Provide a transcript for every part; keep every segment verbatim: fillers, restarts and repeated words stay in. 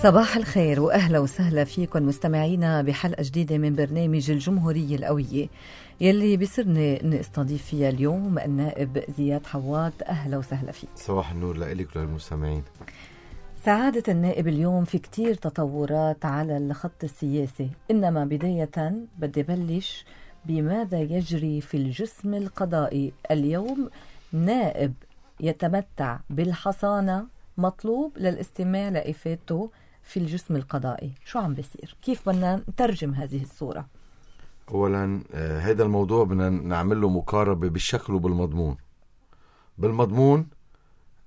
صباح الخير وأهلا وسهلا فيكم مستمعينا بحلقة جديدة من برنامج الجمهورية القوية يلي بيسرني أن استضيف فيها اليوم النائب زياد حواد. أهلا وسهلا فيك. صباح النور لإلك وللمستمعين. سعادة النائب، اليوم في كتير تطورات على الخط السياسي، إنما بداية بدي بلش بماذا يجري في الجسم القضائي اليوم. نائب يتمتع بالحصانة مطلوب للاستماع لإفادته في الجسم القضائي، شو عم بيصير؟ كيف بدنا نترجم هذه الصورة؟ أولا آه هذا الموضوع بدنا نعمل له مقاربة بالشكل وبالمضمون. بالمضمون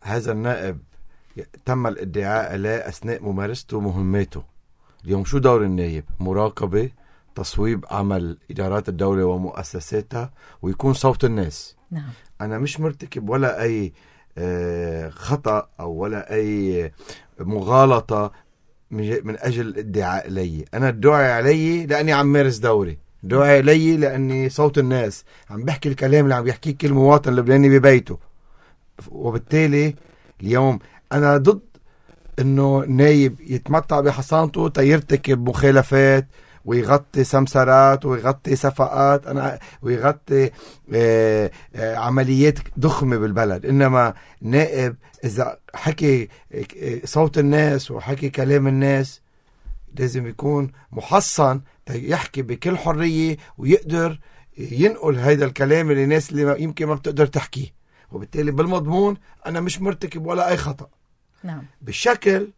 هذا النائب تم الادعاء له أثناء ممارسته مهماته. اليوم شو دور النائب؟ مراقبة، تصويب عمل إدارات الدولة ومؤسساتها، ويكون صوت الناس. نعم. أنا مش مرتكب ولا أي آه خطأ أو ولا أي مغالطة من أجل الادعاء لي. أنا الدعاء علي لأني عم مارس دوري، دعاء لي لأني صوت الناس، عم بحكي الكلام اللي عم بيحكيه كل مواطن لبناني ببيته. وبالتالي اليوم أنا ضد إنه نايب يتمتع بحصانته تيرتكب مخالفات ويغطي سمسرات ويغطي صفقات أنا ويغطي آه آه عمليات ضخمة بالبلد. إنما نائب إذا حكي صوت الناس وحكي كلام الناس لازم يكون محصن يحكي بكل حرية ويقدر ينقل هذا الكلام اللي الناس اللي يمكن ما بتقدر تحكيه. وبالتالي بالمضمون أنا مش مرتكب ولا أي خطأ. نعم. بالشكل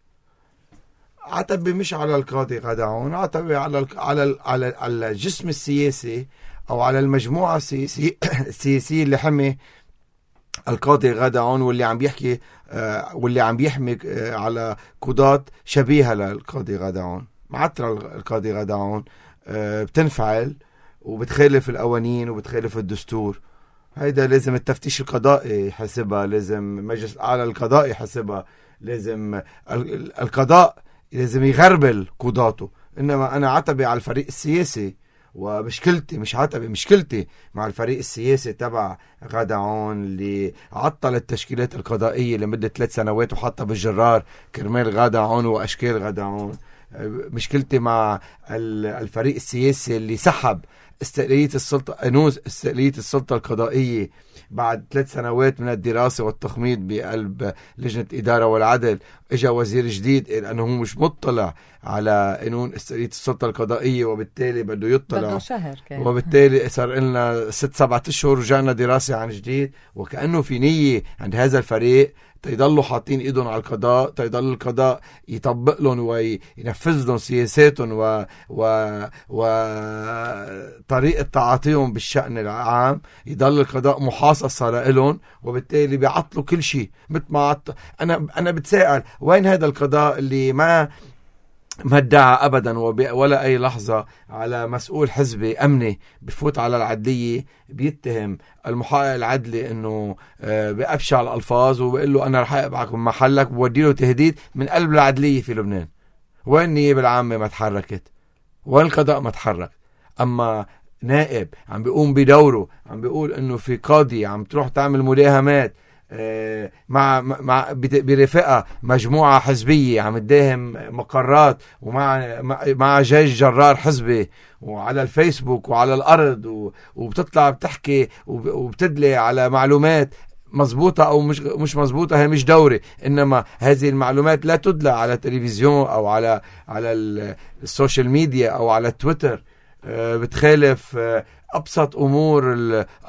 عتبي مش على القاضي غدعون، عتبي على على على على الجسم السياسي أو على المجموعة السياسية السياسية اللي حمي القاضي غدعون واللي عم بيحكي آه واللي عم بيحمي آه على قضاة شبيهة للقاضي غدعون. معترة القاضي غدعون آه بتنفعل وبتخالف القوانين وبتخالف الدستور. هيدا لازم التفتيش القضائي يحسبها، لازم مجلس الأعلى القضائي يحسبها، لازم القضاء لازم يغربل قضاته. إنما أنا عتبي على الفريق السياسي، ومشكلتي مش عتبي، مشكلتي مع الفريق السياسي تبع غدعون اللي عطل التشكيلات القضائية لمدة ثلاث سنوات وحطها بالجرار كرمال غدعون وأشكال غدعون. مشكلتي مع الفريق السياسي اللي سحب استقلالية السلطة أنوز استقلالية السلطة القضائية بعد ثلاث سنوات من الدراسة والتخميد بقلب لجنة إدارة والعدل. إجا وزير جديد لأنه هو مش مطلع على قانون استقلالية السلطة القضائية، وبالتالي بده يطلع، وبالتالي صار لنا ست سبعة أشهر ورجعنا دراسة عن جديد. وكأنه في نية عند هذا الفريق تيضلوا حاطين ايدهم على القضاء، تيضل القضاء يطبق لهم وينفذ لهم سياساتهم و و وطريقة تعاطيهم بالشأن العام، يضل القضاء محاصصة لهم، وبالتالي بيعطلوا كل شيء. مثل ما عط... انا انا بتساءل وين هذا القضاء اللي ما ما ادعى ابدا ولا اي لحظه على مسؤول حزبي امني بفوت على العدليه بيتهم المحقق العدلي انه بأبشع الالفاظ وبيقول له انا رح ابعك من محلك وبودي له تهديد من قلب العدليه في لبنان. وين النيابه العامه ما تحركت؟ وين القضاء ما تحرك؟ اما نائب عم بيقوم بدوره، عم بيقول انه في قاضي عم تروح تعمل مداهمات مع مع برفقة مجموعة حزبية عم تداهم مقرات ومع مع جيش جرار حزبي وعلى الفيسبوك وعلى الأرض، وبتطلع بتحكي وبتدلي على معلومات مزبوطة أو مش مش مزبوطة. هي مش دوري، إنما هذه المعلومات لا تدلى على التلفزيون أو على على السوشيال ميديا أو على تويتر، بتخالف أبسط أمور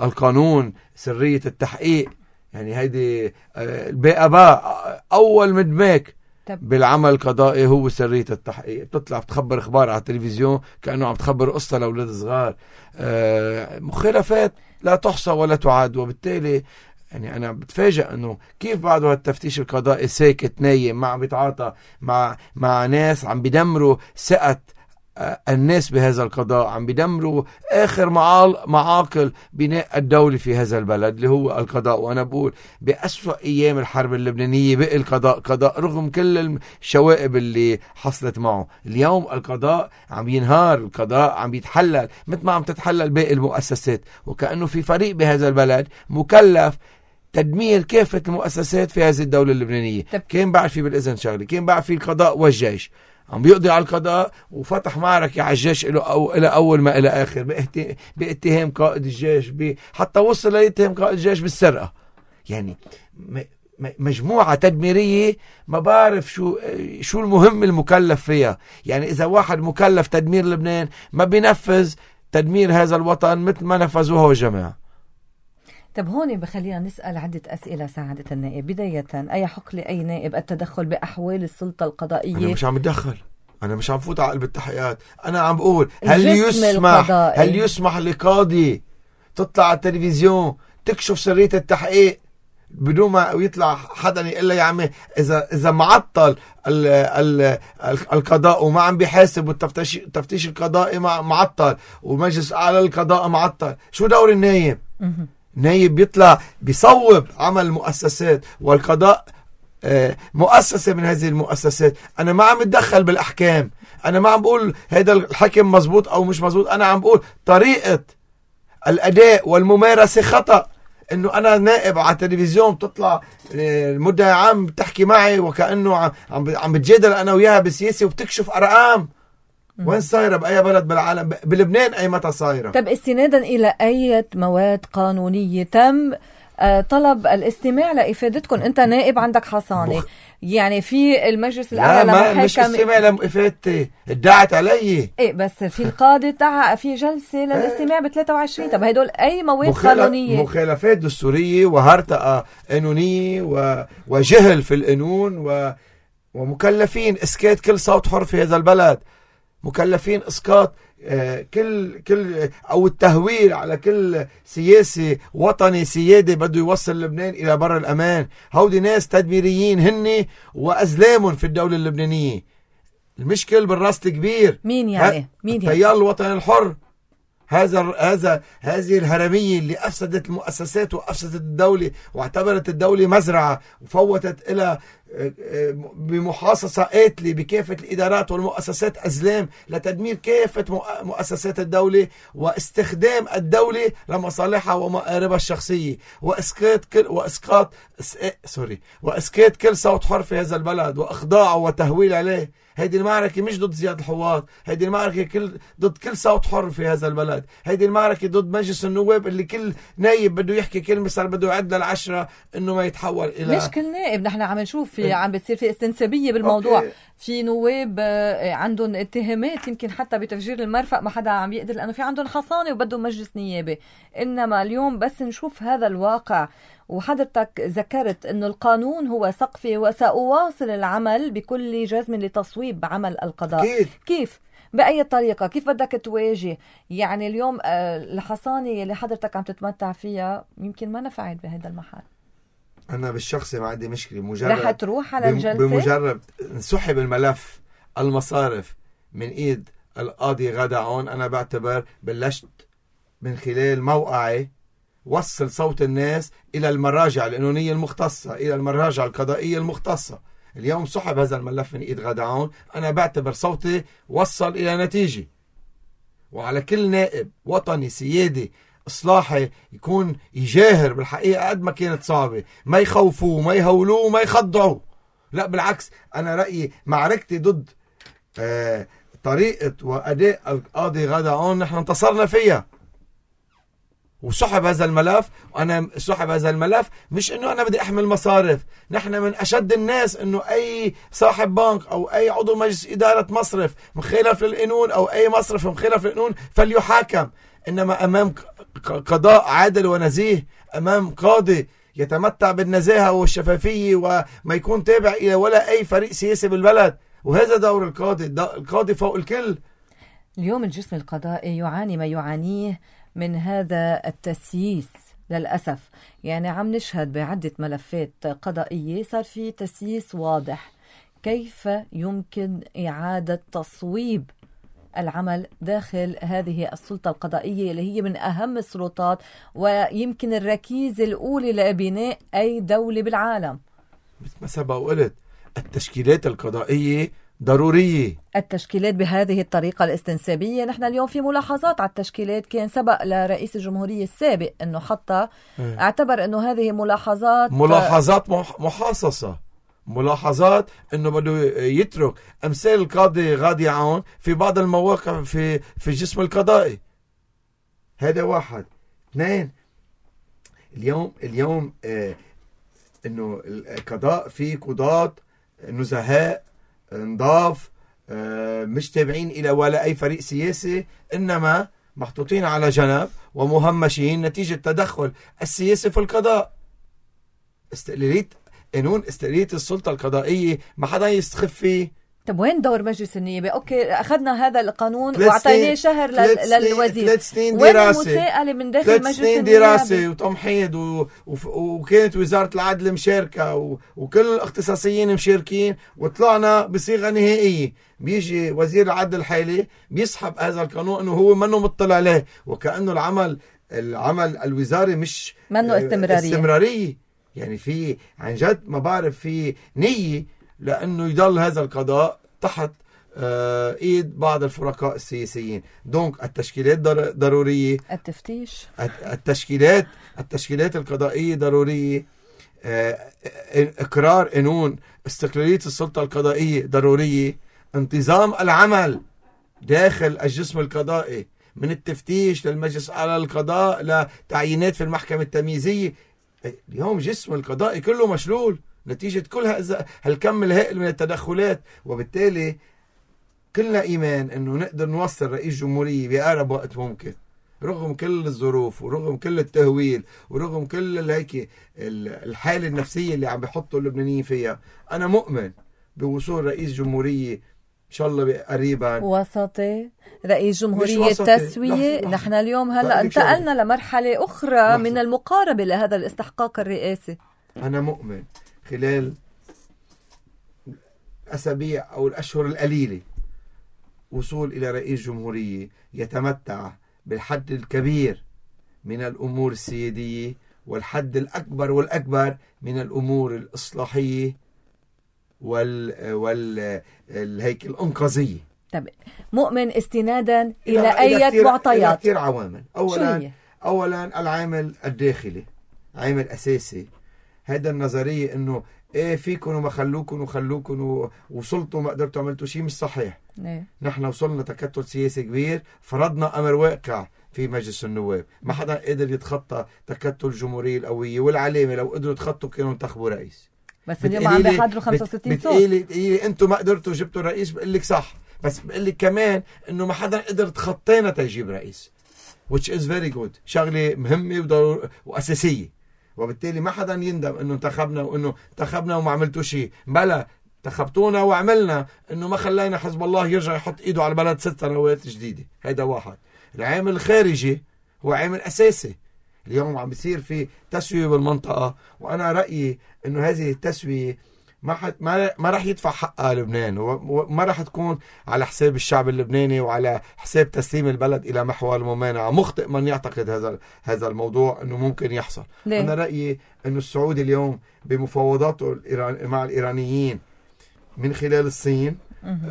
القانون، سرية التحقيق. يعني هيدي الباقباء أول مدماك بالعمل القضائي هو سرية التحقيق. بتطلع بتخبر إخبار على التلفزيون كأنه عم تخبر قصة لأولاد صغار، مخالفات لا تحصى ولا تعد. وبالتالي يعني أنا بتفاجأ أنه كيف بعد هالتفتيش القضائي ساكت نايم، ما عم بيتعاطى مع مع ناس عم بيدمروا ثقة الناس بهذا القضاء، عم بيدمروا آخر معاقل بناء الدولة في هذا البلد اللي هو القضاء. وأنا بقول بأسوأ أيام الحرب اللبنانية بقى القضاء قضاء رغم كل الشوائب اللي حصلت معه. اليوم القضاء عم ينهار، القضاء عم يتحلل مثل ما عم تتحلل باقي المؤسسات، وكأنه في فريق بهذا البلد مكلف تدمير كافة المؤسسات في هذه الدولة اللبنانية. طب. كان بعد في بالإذن شغلي، كان بعد في القضاء والجيش عم بيقضي على القضاء وفتح معركة على الجيش إلى أو إلى أول ما إلى آخر بإهت... باتهام قائد الجيش ب... حتى وصل ليتهم قائد الجيش بالسرقة. يعني م... مجموعة تدميرية ما بعرف شو شو المهم المكلف فيها. يعني إذا واحد مكلف تدمير لبنان ما بينفذ تدمير هذا الوطن مثل ما نفذوه الجماعة. طب هون بخلينا نسأل عدة أسئلة سعادة النائب. بداية، أي حق لأي نائب التدخل بأحوال السلطة القضائية؟ أنا مش عم اتدخل، أنا مش عم فوت على قلب التحقيقات. أنا عم بقول هل يسمح القضائي. هل يسمح لقاضي تطلع على التلفزيون تكشف سرية التحقيق بدون ما يطلع حدا يقول له يا عمي إذا إذا معطل ال ال القضاء وما عم بيحاسب والتفتيش التفتيش القضائي معطل ومجلس أعلى القضاء معطل، شو دور النايب؟ نايب بيطلع بيصوب عمل المؤسسات والقضاء مؤسسة من هذه المؤسسات. أنا ما عم اتدخل بالأحكام، أنا ما عم بقول هذا الحكم مزبوط أو مش مزبوط، أنا عم بقول طريقة الأداء والممارسة خطأ. إنه أنا نائب على التلفزيون بتطلع المدعي عام بتحكي معي وكأنه عم عم بتجادل أنا وياها بسياسة وبتكشف أرقام. وين صايرة بأي بلد بالعالم؟ بلبنان أي متى صايرة؟ طب استنادا إلى أي مواد قانونية تم طلب الاستماع لإفادتكم؟ أنت نائب عندك حصانة مخ... يعني في المجلس الأعلى لا ما مش استماع لإفادتي، ادعت علي. إيه بس في القاضي دعا في جلسة للاستماع ب ثلاثة وعشرين. طب هدول أي مواد مخالف... قانونية؟ مخالفات دستورية وهرطقة قانونية و... وجهل في القانون و... ومكلفين إسكات كل صوت حر في هذا البلد، مكلفين اسقاط آه كل كل او التهويل على كل سياسي وطني سيادي بده يوصل لبنان الى بر الامان. هودي ناس تدميريين هن وازلامهم في الدوله اللبنانيه. المشكل بالراس الكبير. مين يعني؟ مين يعني؟ التيار الوطني الحر. هذا هذا هذه الهرميه اللي افسدت المؤسسات وافسدت الدوله واعتبرت الدوله مزرعه وفوتت الى بمحاصصة قاتلة بكافة الإدارات والمؤسسات أزلام لتدمير كافة مؤسسات الدولة واستخدام الدولة لمصالحها ومآربها الشخصية وإسقاط كل وإسقاط سوري وإسقاط كل صوت حر في هذا البلد وإخضاعه وتهويل عليه. هيدي المعركة مش ضد زياد الحوار، هيدي المعركة كل ضد كل صوت حر في هذا البلد. هيدي المعركة ضد مجلس النواب اللي كل نايب بده يحكي كلمة صار بده يعد للعشرة إنه ما يتحول إلى مش كل نائب. نحن عم نشوف في عم بتصير في استنسابية بالموضوع. أوكي. في نواب عندهم اتهامات يمكن حتى بتفجير المرفق ما حدا عم يقدر لأنه في عندهم حصانة وبدهم مجلس نيابي. إنما اليوم بس نشوف هذا الواقع. وحضرتك ذكرت أنه القانون هو سقفي وسأواصل العمل بكل جزم لتصويب عمل القضاء. أكيد. كيف؟ بأي طريقة؟ كيف بدك تواجه؟ يعني اليوم الحصانة اللي حضرتك عم تتمتع فيها يمكن ما نفعت بهذا المحل. أنا بالشخصي ما عندي مشكلة. مجرد رح تروح على الجلسة بمجرد سحب الملف المصارف من إيد القاضي غدا عون أنا بعتبر بلشت من خلال موقعي وصل صوت الناس إلى المراجع القانونية المختصة، إلى المراجع القضائية المختصة. اليوم سحب هذا الملف من إيد غدا عون، أنا بعتبر صوتي وصل إلى نتيجة. وعلى كل نائب وطني سيادي إصلاحي يكون يجاهر بالحقيقة قد ما كانت صعبة، ما يخوفوه ما يهولوه ما يخضعوا. لا بالعكس، أنا رأيي معركتي ضد آه طريقة وأداء القاضي غدا عون نحن انتصرنا فيها. وسحب هذا الملف، وأنا سحب هذا الملف مش إنه أنا بدي أحمل مصارف. نحن من أشد الناس إنه أي صاحب بنك أو أي عضو مجلس إدارة مصرف مخالف للقانون أو أي مصرف مخالف للقانون فليحاكم. إنما أمام قضاء عادل ونزيه، أمام قاضي يتمتع بالنزاهة والشفافية وما يكون تابع إلى ولا أي فريق سياسي بالبلد. وهذا دور القاضي، القاضي فوق الكل. اليوم الجسم القضائي يعاني ما يعانيه من هذا التسييس للأسف. يعني عم نشهد بعدة ملفات قضائية صار في تسييس واضح. كيف يمكن إعادة تصويب العمل داخل هذه السلطة القضائية اللي هي من أهم السلطات ويمكن الركيزة الأولى لبناء أي دولة بالعالم؟ ما سبق وقلت التشكيلات القضائية ضرورية. التشكيلات بهذه الطريقة الاستنسابية، نحن اليوم في ملاحظات على التشكيلات، كان سبق لرئيس الجمهورية السابق أنه حتى اعتبر أنه هذه ملاحظات ملاحظات محاصصة، ملاحظات أنه بده يترك أمثال القاضي غادي عون في بعض المواقع في في الجسم القضائي. هذا واحد. اثنين، اليوم اليوم آه انه القضاء في قضاة نزهاء نضاف آه مش تابعين الى ولا اي فريق سياسي، انما محطوطين على جنب ومهمشين نتيجة تدخل السياسي في القضاء. استقلالية قانون استقلالية السلطة القضائية ما حدا يستخف فيه. طب وين دور مجلس النيابة؟ اوكي اخذنا هذا القانون واعطيناه شهر للوزير، ثلاث سنين وين دراسة، المساءلة من داخل ثلاث مجلس سنين النيابة؟ دراسة وتمحيض و... و... وكانت وزارة العدل مشاركة و... وكل الاختصاصيين مشاركين، وطلعنا بصيغة نهائية. بيجي وزير العدل الحالي بيسحب هذا القانون انه هو منه مطلع عليه، وكأنه العمل العمل الوزاري مش منه استمرارية. استمرارية. يعني في عن جد ما بعرف في نية لأنه يضل هذا القضاء تحت آه ايد بعض الفرقاء السياسيين. دونك التشكيلات ضرورية، التفتيش، التشكيلات التشكيلات القضائية ضرورية، آه اقرار قانون استقلالية السلطة القضائية ضرورية، انتظام العمل داخل الجسم القضائي من التفتيش للمجلس على القضاء لتعيينات في المحكمة التمييزية. اليوم جسم القضائي كله مشلول نتيجة كل هالكم الهائل من التدخلات، وبالتالي كلنا إيمان أنه نقدر نوصل رئيس جمهورية بأقرب وقت ممكن، رغم كل الظروف ورغم كل التهويل ورغم كل هيك الحالة النفسية اللي عم بيحطوا اللبنانيين فيها. أنا مؤمن بوصول رئيس جمهورية إن شاء الله قريبا وسطي، رئيس جمهورية تسوية. نحن اليوم هلأ انتقلنا لمرحلة أخرى لحظة. من المقاربة لهذا الاستحقاق الرئاسي. أنا مؤمن خلال أسابيع أو الأشهر القليلة وصول إلى رئيس جمهورية يتمتع بالحد الكبير من الأمور السيادية والحد الأكبر والأكبر من الأمور الإصلاحية وال وال هيك الإنقاذية. طب مؤمن استنادا إلى أي معطيات؟ كثير عوامل. أولا أولا العامل الداخلي عامل أساسي. هذا النظرية إنه إيه فيكم وما خلوكم وخلوكم ووصلتوا ما قدرتوا عملتوا شيء مش صحيح. إيه؟ نحن وصلنا تكتل سياسي كبير، فرضنا أمر واقع في مجلس النواب، ما حدا قدر يتخطى تكتل الجمهورية القوية والعلامة. لو قدروا يتخطوا كانوا انتخبوا رئيس. بس اليوم عم بيحضروا خمسة وستين صوت. بتقولي انتم ما قدرتوا جبتوا الرئيس، بقول لك صح، بس بقول لك كمان انه ما حدا قدر تخطينا تجيب رئيس، which is very good. شغلة مهمة وضرورية وأساسية، وبالتالي ما حدا يندم انه انتخبنا وانه انتخبنا وما عملتوا شيء. بلا انتخبتونا وعملنا انه ما خلينا حزب الله يرجع يحط ايده على البلد ست سنوات جديدة. هيدا واحد. العامل الخارجي هو عامل أساسي. اليوم عم بيصير في تسوية بالمنطقة، وأنا رأيي إنه هذه التسوية ما حد ما ما راح يدفع حقها لبنان، وما راح تكون على حساب الشعب اللبناني وعلى حساب تسليم البلد إلى محور الممانعة. مخطئ من يعتقد هذا هذا الموضوع إنه ممكن يحصل. ليه؟ أنا رأيي إنه السعودي اليوم بمفاوضاته مع الإيرانيين من خلال الصين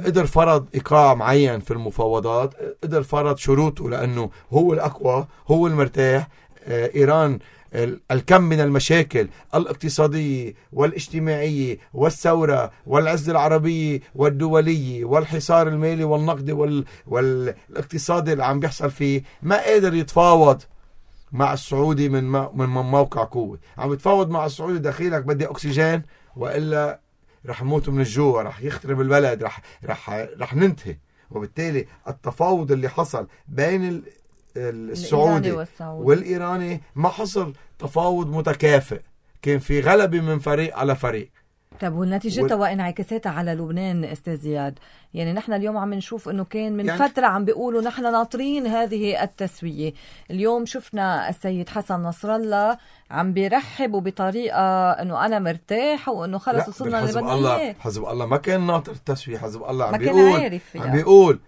قدر فرض إيقاع معين في المفاوضات، قدر فرض شروطه لأنه هو الأقوى، هو المرتاح. إيران الكم من المشاكل الاقتصادية والاجتماعية والثورة والعزة العربية والدولية والحصار المالي والنقدي وال... والاقتصادي اللي عم بيحصل فيه، ما قادر يتفاوض مع السعودي من, ما... من موقع قوة. عم يتفاوض مع السعودي داخلك بدي أكسجين وإلا رح نموت من الجوع، رح يخترب البلد، رح, رح... رح ننتهي. وبالتالي التفاوض اللي حصل بين ال... السعودي والإيراني ما حصل تفاوض متكافئ، كان في غلبة من فريق على فريق. طب والنتيجة وال... وانعكاساتها على لبنان أستاذ زياد؟ يعني نحن اليوم عم نشوف أنه كان من يعني... فترة عم بيقولوا نحن ناطرين هذه التسوية. اليوم شفنا السيد حسن نصر الله عم بيرحب بطريقة أنه أنا مرتاح وأنه خلص وصلنا حزب الله. حزب الله ما كان ناطر التسوية. حزب الله عم ما بيقول كان عارف عم بيقول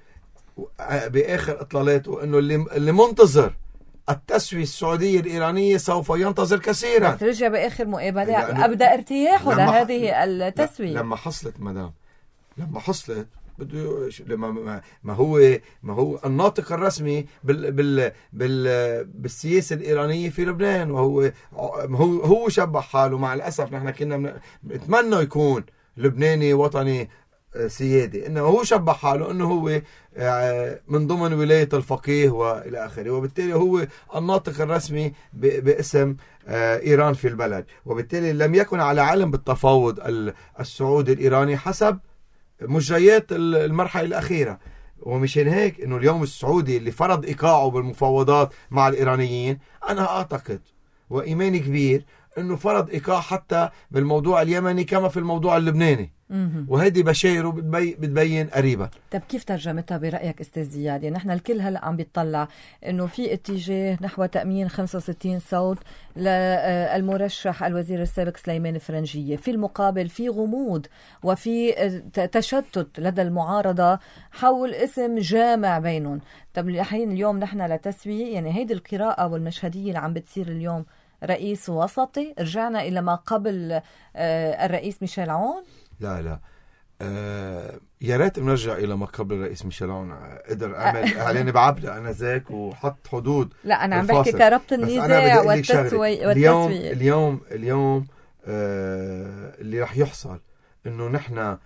بآخر إطلالاته أنه اللي, اللي منتظر التسوية السعودية الإيرانية سوف ينتظر كثيرا. بس رجع بآخر مقابلة أبدأ ارتياحه لهذه التسوية لما حصلت مدام لما حصلت بده لما ما هو ما هو الناطق الرسمي بال بال بال بالسياسه الايرانيه في لبنان، وهو هو هو شبه حاله. مع الاسف نحن كنا نتمنى يكون لبناني وطني سيادي، انه هو شبه حاله انه هو من ضمن ولايه الفقيه والى اخره، وبالتالي هو الناطق الرسمي باسم ايران في البلد، وبالتالي لم يكن على علم بالتفاوض السعودي الايراني حسب مجريات المرحله الاخيره. ومشان هيك انه اليوم السعودي اللي فرض ايقاعه بالمفاوضات مع الايرانيين، انا اعتقد وايماني كبير انه فرض ايقاع حتى بالموضوع اليمني كما في الموضوع اللبناني، وهذه بشايره بتبين قريبا. طب كيف ترجمتها برأيك استاذ زياد؟ يعني نحن الكل هلا عم بيطلع انه في اتجاه نحو تأمين خمسة وستين صوت للمرشح الوزير السابق سليمان فرنجية، في المقابل في غموض وفي تشتت لدى المعارضة حول اسم جامع بينهم. طب الحين اليوم نحن لتسوية، يعني هيدي القراءة والمشهدية اللي عم بتصير اليوم رئيس وسطي، رجعنا إلى ما قبل الرئيس ميشيل عون؟ لا لا آه يا ريت بنرجع الى ما قبل الرئيس ميشيل عون. قدر اعمل اعلان بعبده انا ذاك وحط حدود. لا انا عم بحكي كربط النزاع والتسويه. اليوم اليوم اليوم آه اللي رح يحصل انه نحن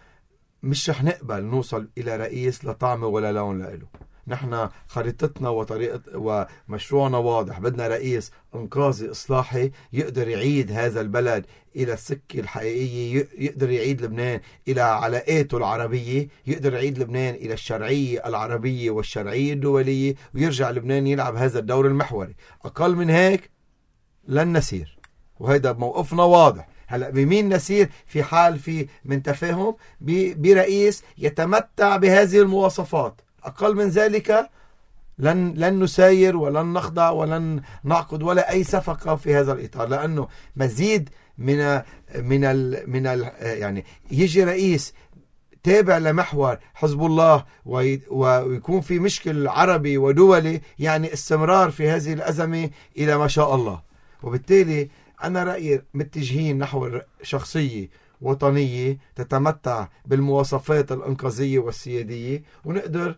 مش رح نقبل نوصل الى رئيس لا طعم ولا لون له. نحن خريطتنا وطريقة ومشروعنا واضح، بدنا رئيس انقاذي اصلاحي يقدر يعيد هذا البلد الى السكة الحقيقية، يقدر يعيد لبنان الى علاقاته العربية، يقدر يعيد لبنان الى الشرعية العربية والشرعية الدولية، ويرجع لبنان يلعب هذا الدور المحوري. اقل من هيك لن نسير، وهذا موقفنا واضح. هلا بمين نسير؟ في حال في من تفاهم برئيس يتمتع بهذه المواصفات. أقل من ذلك لن لن نساير ولن نخضع ولن نعقد ولا أي صفقة في هذا الإطار، لأنه مزيد من من ال من ال يعني يجي رئيس تابع لمحور حزب الله ويكون في مشكل عربي ودولي، يعني استمرار في هذه الأزمة إلى ما شاء الله. وبالتالي أنا رأيي متجهين نحو شخصية وطنية تتمتع بالمواصفات الإنقاذية والسيادية، ونقدر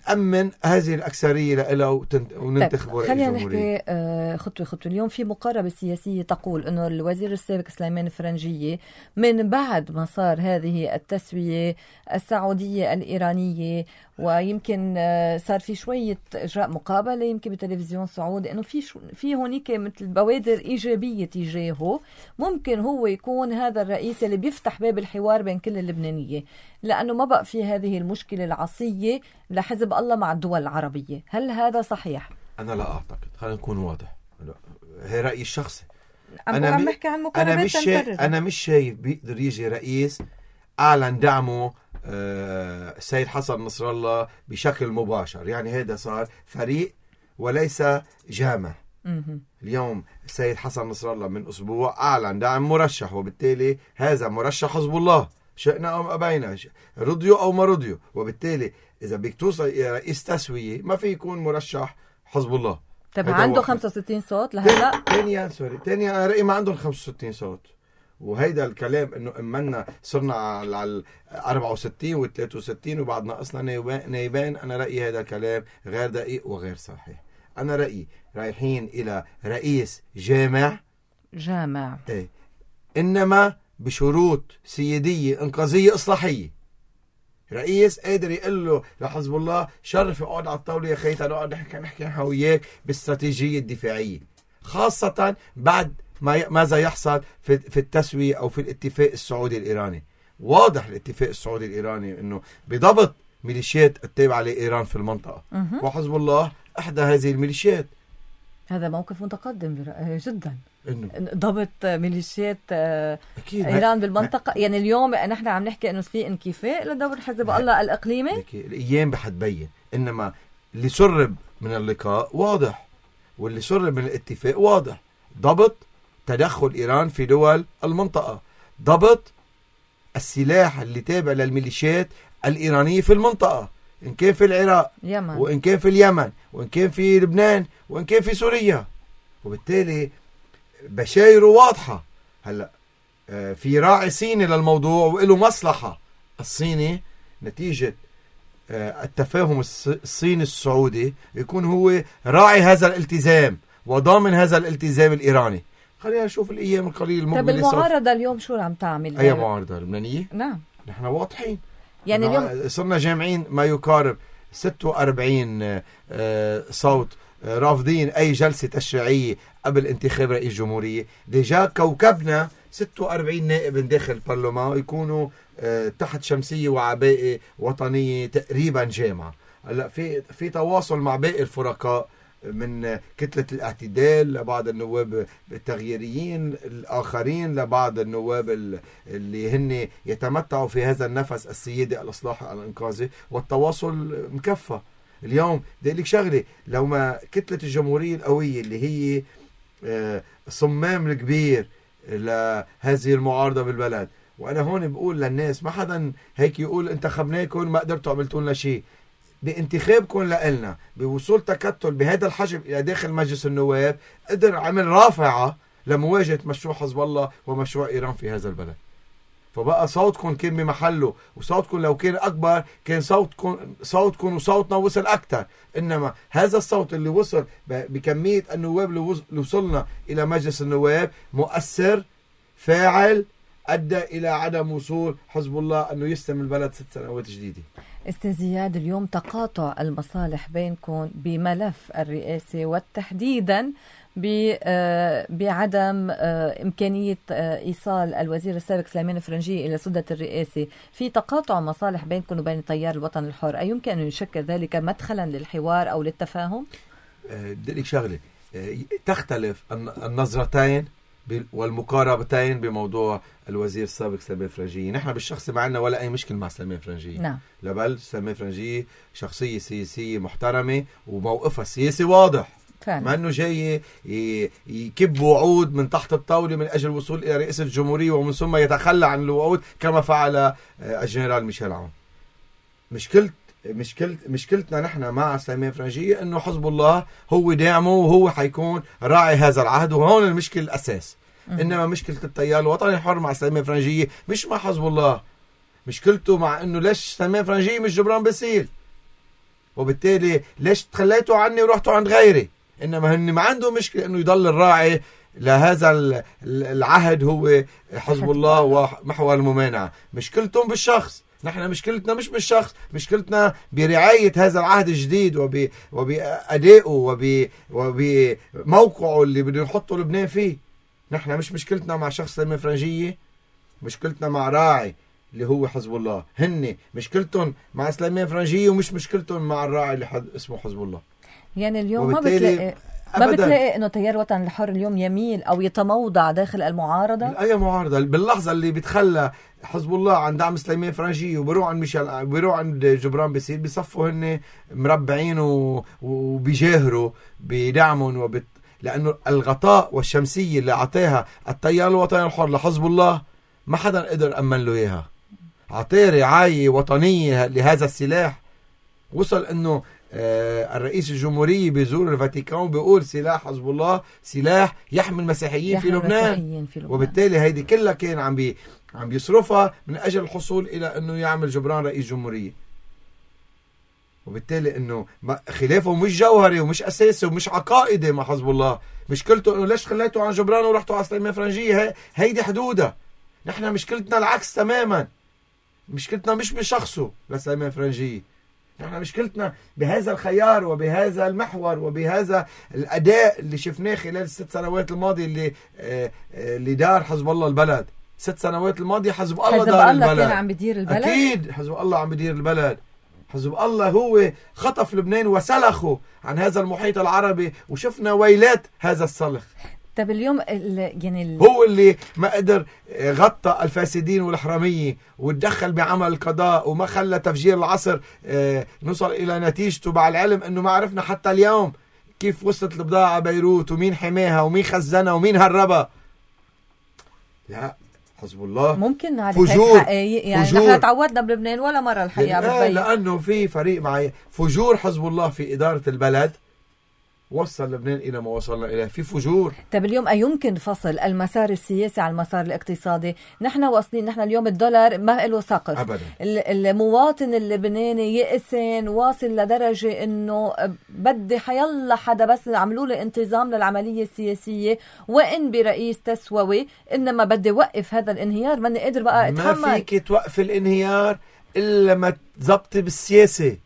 نأمن هذه الأكثرية لها وننتخب رئيس خلينا الجمهورية. نحكي خطوة خطوة. اليوم في مقاربة سياسية تقول أنه الوزير السابق سليمان فرنجية من بعد ما صار هذه التسوية السعودية الإيرانية، ويمكن صار في شوية إجراء مقابلة يمكن بتلفزيون سعودي، أنه في في هونيك مثل بوادر إيجابية تجاهه، ممكن هو يكون هذا الرئيس اللي بيفتح باب الحوار بين كل اللبنانية، لأنه ما بقى في هذه المشكلة العصية لحزب الله مع الدول العربية. هل هذا صحيح؟ أنا لا أعتقد. خلينا نكون واضح، هي رأيي الشخصي. أنا عم بحكي عن مقاربات أنا مش شايف أنا مش شايف بيقدر يجي رئيس أعلن دعمه السيد حسن نصر الله بشكل مباشر، يعني هذا صار فريق وليس جامع. اليوم السيد حسن نصر الله من أسبوع أعلن دعم مرشح، وبالتالي هذا مرشح حزب الله شئنا أو أبينا، رضيوا أو ما رضيوا. وبالتالي إذا بدك توصل إلى رئيس تسوية ما في يكون مرشح حزب الله. طب عنده خمسة وستين صوت لهلا؟ تاني سوري تاني أنا رأيي ما عندهم خمسة وستين صوت، وهيدا الكلام إنه إمنا صرنا على أربعة وستين و ثلاثة وستين وبعد ناقصنا نايبان. أنا رأيي هذا الكلام غير دقيق وغير صحيح. أنا رأيي رايحين إلى رئيس جامع جامع إيه، إنما بشروط سيادية إنقاذية إصلاحية. رئيس قادر يقول له لحزب الله شرف اقعد على الطاولة يا خيتا نقعد نحكي نحكي نحن وياك باستراتيجية الدفاعية، خاصة بعد ما ماذا يحصل في في التسوية أو في الاتفاق السعودي الإيراني. واضح الاتفاق السعودي الإيراني إنه بضبط ميليشيات التابعة لإيران في المنطقة، وحزب الله إحدى هذه الميليشيات. هذا موقف متقدم جدا، إنه ضبط ميليشيات إيران بالمنطقة. يعني اليوم نحن عم نحكي إنه في انكفاء لدور حزب الله الإقليمي. الأيام بحتبين، إنما اللي سرب من اللقاء واضح، واللي سرب من الاتفاق واضح. ضبط تدخل إيران في دول المنطقة، ضبط السلاح اللي تابع للميليشيات الإيرانية في المنطقة، إن كان في العراق يمن. وإن كان في اليمن وإن كان في لبنان وإن كان في سوريا. وبالتالي بشايره واضحة. هلأ في راعي صيني للموضوع وإله مصلحة الصيني نتيجة التفاهم الصيني السعودي يكون هو راعي هذا الالتزام وضامن هذا الالتزام الإيراني. خلينا نشوف الأيام القليلة المقبلة. طيب المعارضة اليوم شو عم تعمل؟ أي معارضة لبنانية؟ نعم نحن واضحين، يعني اليوم صرنا جامعين ما يقارب ستة وأربعين صوت رافضين أي جلسة تشريعية قبل انتخاب رئيس جمهورية. ديجا كوكبنا ستة وأربعين نائب من داخل البرلمان يكونوا تحت شمسية وعباءة وطنية تقريبا جامعة. هلا في في تواصل مع باقي الفرقاء من كتلة الاعتدال لبعض النواب التغييريين الآخرين لبعض النواب اللي هن يتمتعوا في هذا النفس السيادي الإصلاحي الإنقاذي، والتواصل مكفى. اليوم بدي لك شغلة، لو ما كتلة الجمهورية القوية اللي هي صمام الكبير لهذه المعارضة بالبلد، وأنا هون بقول للناس ما حدا هيك يقول انتخبناكم ما قدرتوا عملتوا لنا شيء. بانتخابكم لنا بوصول تكتل بهذا الحجم إلى داخل مجلس النواب قدر عمل رافعة لمواجهة مشروع حزب الله ومشروع إيران في هذا البلد. فبقى صوتكم كان بمحله، وصوتكم لو كان أكبر كان صوتكم صوتكم وصوتنا وصل أكثر. إنما هذا الصوت اللي وصل بكمية النواب اللي وصلنا إلى مجلس النواب مؤثر فاعل أدى إلى عدم وصول حزب الله أنه يستلم البلد ست سنوات جديدة. أستاذ زياد، اليوم تقاطع المصالح بينكم بملف الرئاسة وتحديدا بعدم إمكانية إيصال الوزير السابق سليمان فرنجي إلى سدة الرئاسة، في تقاطع مصالح بينكم وبين تيار الوطن الحر، أيمكن أن يشكل ذلك مدخلا للحوار أو للتفاهم؟ بدي لك شغلة، تختلف النظرتين والمقاربتين بموضوع الوزير السابق سليمان فرنجي. نحن بالشخص ما عندنا ولا أي مشكلة مع سليمان فرنجي. نعم. لبل سليمان فرنجي شخصية سياسية محترمة وموقفها السياسي واضح، مع أنه جاي يكب وعود من تحت الطاولة من أجل الوصول إلى رئاسة الجمهورية ومن ثم يتخلى عن الوعود كما فعل الجنرال ميشيل عون. مشكلة مشكلة مشكلتنا نحن مع سليمان فرنجي انه حزب الله هو داعمه وهو حيكون راعي هذا العهد، وهون المشكلة الاساس. م- انما مشكلة التيار الوطني الحر مع سليمان فرنجي مش مع حزب الله، مشكلته مع انه ليش سليمان فرنجي مش جبران باسيل، وبالتالي ليش تخليتوا عني ورحتوا عند غيري. انما هن ما عنده مشكلة انه يضل الراعي لهذا العهد هو حزب الله ومحور الممانعة. مشكلتهم بالشخص، نحن مشكلتنا مش بالشخص، مشكلتنا برعاية هذا العهد الجديد وب... وبأدائه وب... وبموقعه اللي بده يحطه لبنان فيه. نحن مش مشكلتنا مع شخص سليمان فرنجية، مشكلتنا مع راعي اللي هو حزب الله. هن مشكلتهم مع سليمان فرنجية ومش مشكلتهم مع الراعي اللي حد... اسمه حزب الله. يعني اليوم ما بتلاقي ما بتلاقي انه تيار الوطن الحر اليوم يميل او يتموضع داخل المعارضه؟ اي معارضه باللحظه اللي بيتخلى حزب الله عن دعم سليمان فرنجي وبيروح عند ميشيل بيروح عند جبران باسيل بيصفوا هن مربعين وبيجاهروا بدعمهم وبت... لانه الغطاء والشمسيه اللي اعطاها التيار الوطني الحر لحزب الله ما حدا قدر امن له اياها. اعطاه رعايه وطنيه لهذا السلاح، وصل انه آه الرئيس الجمهورية بيزور الفاتيكان بيقول سلاح حزب الله سلاح يحمي المسيحيين في لبنان. في لبنان، وبالتالي هيدي كلها كان عم بي عم بيصرفها من أجل الحصول إلى أنه يعمل جبران رئيس جمهورية. وبالتالي أنه خلافه مش جوهري ومش أساسي ومش عقائدي مع حزب الله. مشكلته أنه ليش خليته عن جبران ورحتوا على سليمان فرنجي، هي هيدي حدودها. نحن مشكلتنا العكس تماما، مشكلتنا مش بشخصه لسليمان فرنجي، نحن مشكلتنا بهذا الخيار وبهذا المحور وبهذا الأداء اللي شفناه خلال الست سنوات الماضية اللي آه اللي دار حزب الله البلد. ست سنوات الماضية حزب الله حزب دار الله البلد، كان عم بدير البلد. أكيد حزب الله عم بدير البلد. حزب الله هو خطف لبنان وسلخه عن هذا المحيط العربي، وشفنا ويلات هذا السلخ. طب اليوم ال يعني ال... هو اللي ما قدر غطى الفاسدين والحرامية وتدخل بعمل القضاء وما خلى تفجير العصر نوصل إلى نتيجته، مع العلم أنه ما عرفنا حتى اليوم كيف وصلت البضاعة بيروت ومين حماها ومين خزنها ومين هربها. لا حزب الله ممكن نعرف فجور حقيقي، يعني نحن تعودنا بلبنان ولا مرة الحقيقة لا لأنه في فريق معي فجور حزب الله في إدارة البلد وصل لبنان إلى ما وصلنا إليه. في فجور. طيب اليوم أيمكن فصل المسار السياسي عن المسار الاقتصادي؟ نحن واصلين، نحن اليوم الدولار ما له سقف أبدا. المواطن اللبناني يئسن، واصل لدرجة إنه بدي حيلا حدا بس عملوا لي انتظام للعملية السياسية، وإن برئيس تسووي، إنما بدي وقف هذا الانهيار، ماني قادر بقى أتحمل. ما فيك توقف الانهيار إلا ما تزبطي بالسياسة.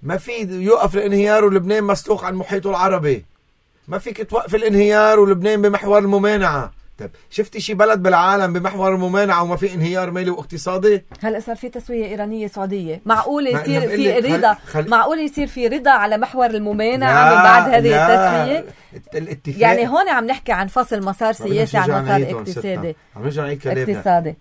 ما في يوقف الانهيار ولبنان مسلوخ عن محيطه العربي. ما فيك توقف الانهيار ولبنان بمحور الممانعة. طيب شفتي شي بلد بالعالم بمحور الممانعة وما في انهيار مالي واقتصادي؟ هلا صار في تسوية إيرانية سعودية، معقول يصير في رضا خل... معقول يصير في رضا على محور الممانعة من بعد هذه التسوية؟ الاتفاق. يعني هون عم نحكي عن فصل مسار سياسي عن مسار اقتصادي. عم نرجع نعيد كلامنا. اقتصادي.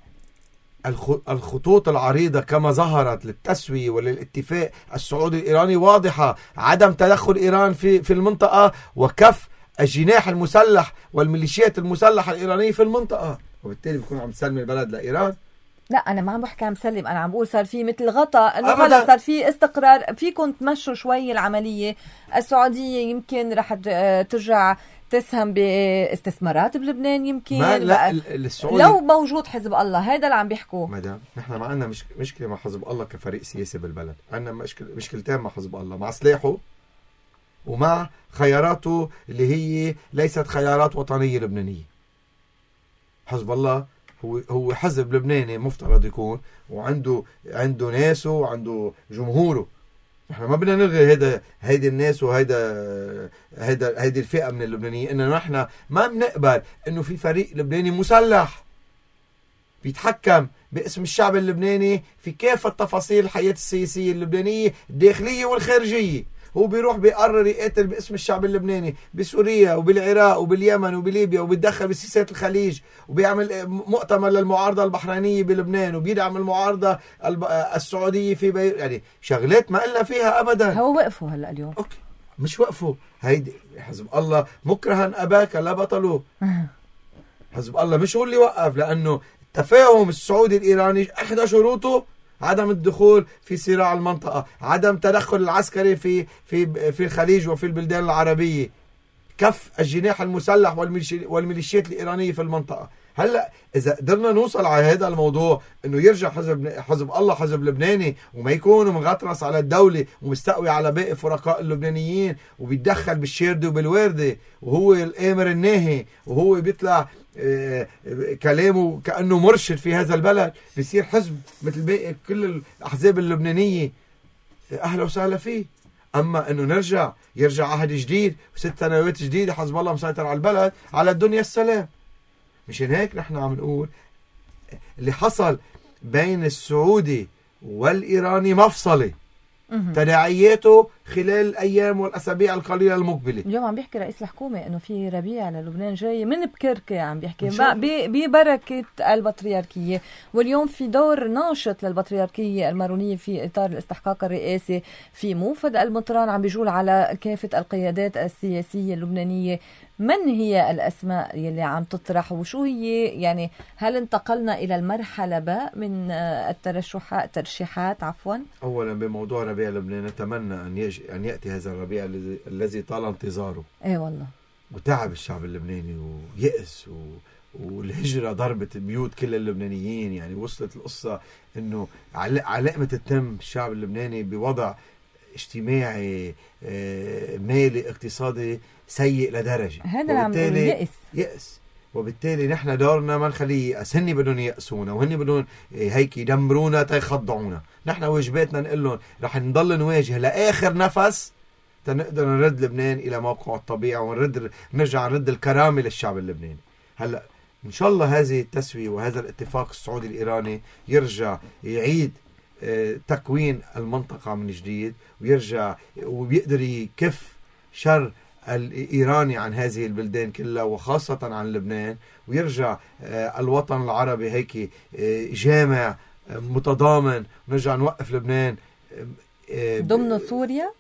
الخطوط العريضة كما ظهرت للتسوية وللاتفاق السعودي الإيراني واضحة. عدم تدخل إيران في في المنطقة وكف الجناح المسلح والميليشيات المسلحة الإيرانية في المنطقة، وبالتالي بيكون عم تسلم البلد لإيران. لا أنا ما عم بحكي عم مسلم، أنا عم بقول صار في مثل غطاء إنه خلص صار في استقرار، فيكم تمشوا شوي العملية. السعودية يمكن رح ترجع تسهم باستثمارات بلبنان يمكن. ما لا السعودي لو موجود حزب الله، هذا اللي عم بيحكوه. مدام نحن ما عندنا مش... مشكلة مع حزب الله كفريق سياسي بالبلد، عندنا مشكلة مشكلتين مع حزب الله، مع سلاحه ومع خياراته اللي هي ليست خيارات وطنية لبنانية. حزب الله هو هو حزب لبناني مفترض يكون، وعنده عنده ناسه وعنده جمهوره. نحن ما بدنا نلغي هيدا هيدي الناس وهيدا هيدا هيدي الفئة من اللبنانيين، انه نحن ما بنقبل انه في فريق لبناني مسلح بيتحكم باسم الشعب اللبناني في كافة تفاصيل الحياة السياسية اللبنانية الداخلية والخارجية. هو بيروح بيقرر يقتل باسم الشعب اللبناني بسوريا وبالعراق وباليمن وبليبيا، وبيتدخل بسياسات الخليج، وبيعمل مؤتمر للمعارضة البحرينية بلبنان، وبيدعم المعارضة السعودية في بي... يعني شغلات ما قلنا فيها أبدا. هو وقفوا هلأ اليوم. أوكي مش وقفوا. هيدي حزب الله مكرها أباك لا بطلوا. حزب الله مش هو اللي وقف، لأنه التفاهم السعودي الإيراني إحدى شروطه عدم الدخول في صراع المنطقة، عدم تدخل العسكري في في في الخليج وفي البلدان العربية، كف الجناح المسلح والميليشيات الإيرانية في المنطقة. هلا إذا قدرنا نوصل على هذا الموضوع إنه يرجع حزب حزب الله حزب لبناني وما يكون مغطرس على الدولة ومستقوي على باقي فرقاء اللبنانيين وبيتدخل بالشيردة وبالوردة وهو الآمر الناهي وهو بيطلع كلامه كأنه مرشد في هذا البلد، بيصير حزب مثل باقي كل الأحزاب اللبنانية، أهلا وسهلا فيه. أما أنه نرجع يرجع عهد جديد وست سنوات جديدة حزب الله مسيطر على البلد، على الدنيا السلام. مشان هيك نحن عم نقول اللي حصل بين السعودي والإيراني مفصلة، تداعياته خلال الأيام والأسابيع القليلة المقبلة. اليوم عم بيحكي رئيس الحكومة إنه في ربيع للبنان جاي من بكركة، عم بيحكي ببركة البطريركية، واليوم في دور ناشط للبطريركية المارونية في إطار الاستحقاق الرئاسي في موفد المطران، عم بيجول على كافة القيادات السياسية اللبنانية. من هي الأسماء يلي عم تطرح وشو هي؟ يعني هل انتقلنا إلى المرحلة باء من الترشحات ترشيحات عفوا؟ أولا بموضوع ربيع لبنان نتمنى أن يجي أن يأتي هذا الربيع الذي الذي طال انتظاره. إيه والله. وتعب الشعب اللبناني ويأس و... والهجرة ضربت بيوت كل اللبنانيين. يعني وصلت القصة إنه علقمة التم الشعب اللبناني بوضع اجتماعي مالي اقتصادي سيء لدرجة، هذا اللي عم بقول يأس يأس وبالتالي نحن دورنا ما نخليه يأس. هني بدهم يأسونا وهني بدهم هيك يدمرونا تيخضعونا. نحن واجباتنا نقول لهم رح نضل نواجه لآخر نفس تنقدر نرد لبنان إلى موقعه الطبيعي ونرد نرجع نرد الكرامة للشعب اللبناني. هلا إن شاء الله هذه التسوية وهذا الاتفاق السعودي الإيراني يرجع يعيد تكوين المنطقة من جديد، ويرجع وبيقدر يكف شر الإيراني عن هذه البلدان كلها وخاصة عن لبنان، ويرجع الوطن العربي هيك جامع متضامن، ونرجع نوقف لبنان ضمن سوريا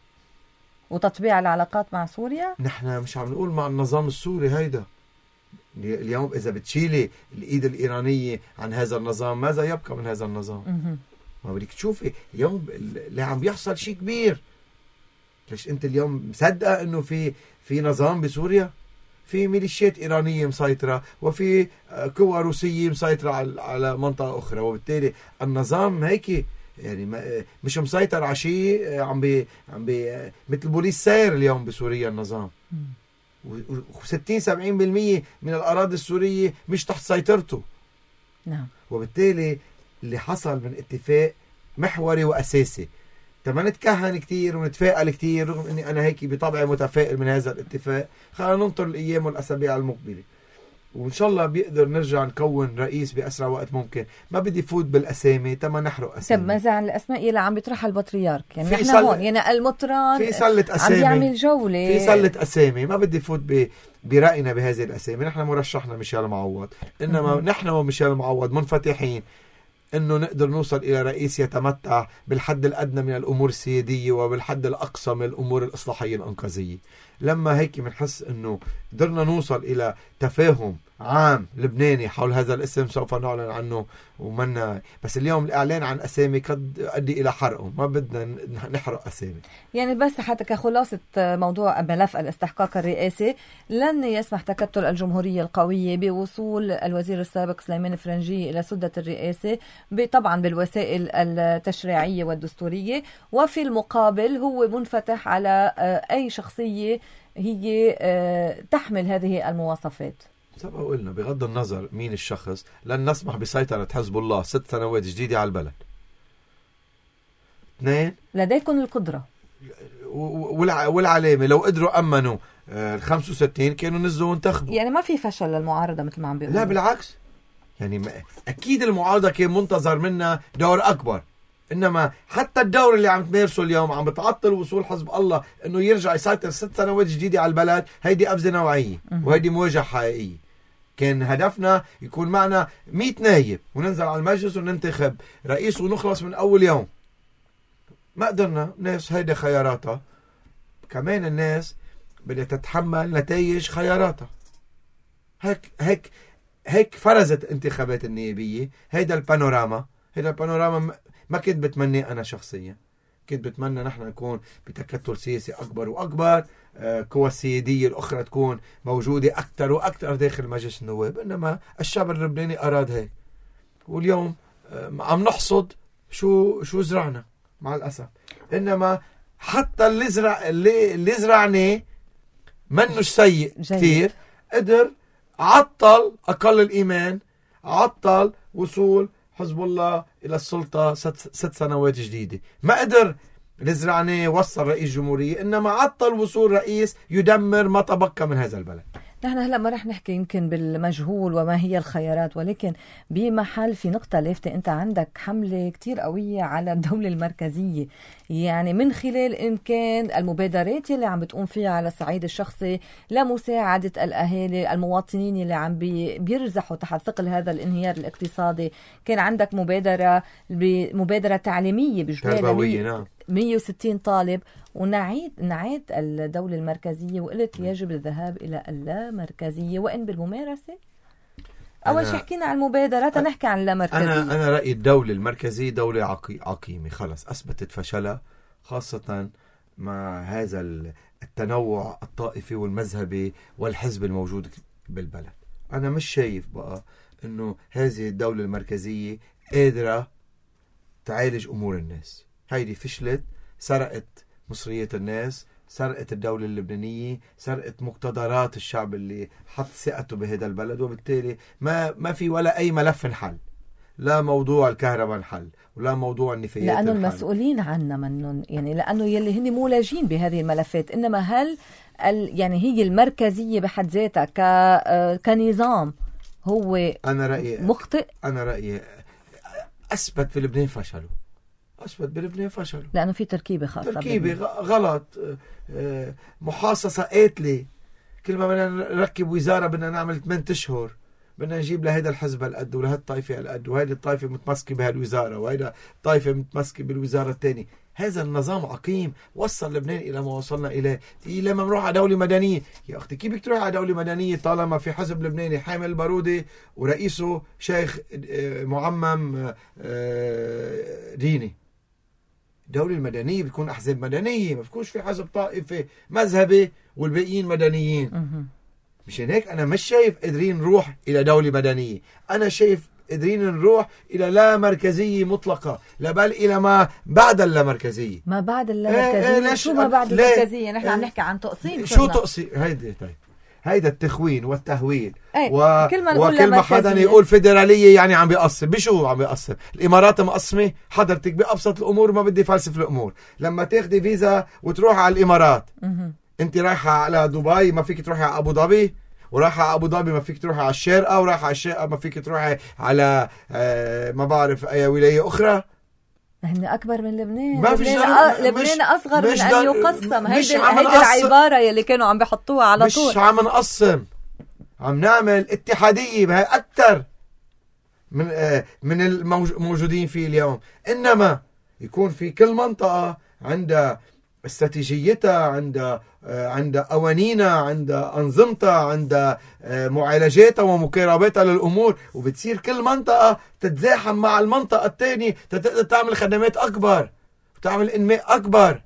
وتطبيع العلاقات مع سوريا. نحن مش عم نقول مع النظام السوري هيدا اليوم. إذا بتشيلي الإيد الإيرانية عن هذا النظام ماذا يبقى من هذا النظام؟ ما بدك تشوفي اليوم اللي عم بيحصل شيء كبير. ليش أنت اليوم مصدقة أنه في في نظام بسوريا؟ في ميليشيات إيرانية مسيطرة، وفي قوى روسية مسيطرة على منطقة أخرى، وبالتالي النظام هيك يعني مش مسيطر على شيء، عم بي عم بي مثل بوليس ساير اليوم بسوريا النظام، وستين سبعين بالمية من الأراضي السورية مش تحت سيطرته. نعم. وبالتالي اللي حصل من اتفاق محوري وأساسي، تما نتكهن كتير ونتفائل كتير، رغم اني انا هيك بطبعي متفائل من هذا الاتفاق. خلينا ننطر الايام والاسابيع المقبله، وان شاء الله بيقدر نرجع نكون رئيس باسرع وقت ممكن. ما بدي فوت بالاسامي تما نحرق اسامي. طب ماذا عن الاسماء اللي عم بيطرحها البطريرك؟ يعني في نحن سل... هون يعني المطران في سله اسامي عم بيعمل جوله، في سله اسامي. ما بدي فوت ب... براينا بهذه الاسامي. نحن مرشحنا ميشيل معوض، انما م- نحن وميشيل معوض منفتحين انه نقدر نوصل الى رئيس يتمتع بالحد الادنى من الامور السياديه وبالحد الاقصى من الامور الاصلاحيه الانقاذيه. لما هيك بنحس انه قدرنا نوصل الى تفاهم عام لبناني حول هذا الاسم سوف نعلن عنه. ومنا بس اليوم الاعلان عن اسامي قد يؤدي الى حرقهم، ما بدنا نحرق اسامي. يعني بس حتى كخلاصه موضوع ملف الاستحقاق الرئاسي، لن يسمح تكتل الجمهوريه القويه بوصول الوزير السابق سليمان الفرنجي الى سده الرئاسه، طبعا بالوسائل التشريعيه والدستوريه، وفي المقابل هو منفتح على اي شخصيه هي تحمل هذه المواصفات. سبق قلنا بغض النظر مين الشخص لن نسمح بسيطرة حزب الله ست سنوات جديدة على البلد. اثنين، لديكم القدرة والعلامة. لو قدروا أمنوا ال خمسة وستين كانوا نزلوا وانتخبوا. يعني ما في فشل للمعارضة مثل ما عم بيقولوا. لا بالعكس، يعني أكيد المعارضة كان منتظر منا دور أكبر، إنما حتى الدور اللي عم تمارسه اليوم عم بتعطل وصول حزب الله إنه يرجع يسيطر ست سنوات جديدة على البلد. هيدي أبزة نوعية وهيدي مواجهة حقيقية. كان هدفنا يكون معنا مئة نايب وننزل على المجلس وننتخب رئيس ونخلص من أول يوم. ما قدرنا. ناس هيدا خياراتها، كمان الناس بدها تتحمل نتائج خياراتها. هيك هيك هيك فرزت انتخابات النيابية. هيدا البانوراما هيدا البانوراما ما كنت بتمنى أنا شخصيا. كنت بتمنى نحن نكون بتكتل سياسي أكبر وأكبر، قوى السيادية الأخرى تكون موجودة أكثر وأكثر داخل مجلس النواب، إنما الشعب اللبناني أراد هيك. واليوم عم نحصد شو شو زرعنا مع الأسف. إنما حتى اللي زرع اللي, اللي زرعناه منوش سيء كثير، قدر عطل أقل الإيمان، عطل وصول حزب الله إلى السلطة ست, ست سنوات جديدة. ما قدر لزرعناه وصل رئيس جمهورية، إنما عطل وصول رئيس يدمر ما تبقى من هذا البلد. نحن هلأ ما رح نحكي يمكن بالمجهول وما هي الخيارات، ولكن بمحل في نقطة لافتة. أنت عندك حملة كتير قوية على الدولة المركزية، يعني من خلال إمكان المبادرات اللي عم بتقوم فيها على الصعيد الشخصي لمساعدة الأهالي المواطنين اللي عم بيرزحوا تحت ثقل هذا الانهيار الاقتصادي. كان عندك مبادرة مبادرة تعليمية بجبالة مية وستين طالب، ونعيد نعيد الدولة المركزية وقلت يجب الذهاب إلى اللامركزية وإن بالممارسة. أول شيء حكينا عن المبادرات، نحكي عن اللامركزية. أنا أنا رأيي الدولة المركزية دولة عقي عقيمة، خلص أثبتت فشلها، خاصة مع هذا التنوع الطائفي والمذهبي والحزب الموجود بالبلد. أنا مش شايف بقى إنه هذه الدولة المركزية قادرة تعالج أمور الناس. هيدي فشلت، سرقت مصريات الناس، سرقت الدولة اللبنانية، سرقت مقتدرات الشعب اللي حط ثقته بهذا البلد. وبالتالي ما ما في ولا أي ملف انحل، لا موضوع الكهرباء انحل ولا موضوع النفايات لأنه انحل. المسؤولين عنا منهم، يعني لأنه يلي هن مولجين بهذه الملفات. إنما هل ال يعني هي المركزية بحد ذاتها ك كنظام هو أنا رأيي مخطئ؟ أنا رأيي أثبت في لبنان فشلوا. أثبت بلبنان فشلوا لأنه في تركيبة خاصة، تركيبة غلط، محاصصة قاتلة. كل ما بدنا نركب وزارة بدنا نعمل ثمانية أشهر، بدنا نجيب لهيدا الحزب القد ولهذا الطائفة القد، وهيدا الطائفة متمسكة بهالوزارة وهيدا الطائفة متمسكة بالوزارة الثانية. هذا النظام عقيم وصل لبنان إلى ما وصلنا إليه. لما نروح على دولة مدنية، يا أختي كيف بدك تروح على دولة مدنية طالما في حزب لبناني حامل البارودة ورئيسه شيخ معمم ديني؟ الدولة المدنية بتكون أحزاب مدنية، ما بتكونش في حزب طائفي مذهبي والباقيين مدنيين. مشان هيك أنا مش شايف قادرين نروح إلى دولة مدنية، أنا شايف قادرين نروح إلى لا مركزية مطلقة، لا بل إلى ما بعد اللامركزية. ما بعد اللامركزية؟ ايه شو ما بعد اللامركزية؟ نحن عم نحكي عن تقسيم. شو تقسيم؟ هيدا طيب هيدا التخوين والتهويل. ايه. و... كل ما وكل ما حدا يقول فيدرالية يعني عم بيقسم. بشو عم بيقسم؟ الإمارات مقسمة حضرتك بأبسط الأمور، ما بدي فلسف الأمور. لما تاخدي فيزا وتروح على الإمارات، انت رايحة على دبي ما فيك تروحي على أبو ظبي، ورايحة على أبو ظبي ما فيك تروحي على الشارقة، ورايحة على الشارقة ما فيك تروحي على آه ما بعرف أي ولاية أخرى. هن أكبر من لبنان. ما لبنان, أ... لبنان أصغر من أن يقسم. هيدي العبارة يلي كانوا عم بيحطوها على مش طول. مش عم نقسم، عم نعمل اتحادية بهي أكتر من آه من الموجودين فيه اليوم. إنما يكون في كل منطقة عندها استراتيجيتها، عندها آه عندها قوانينها، عندها أنظمتها، عندها آه معالجاتها ومقارباتها للأمور، وبتصير كل منطقة تتزاحم مع المنطقة الثانية تقدر تعمل خدمات أكبر وتعمل إنماء أكبر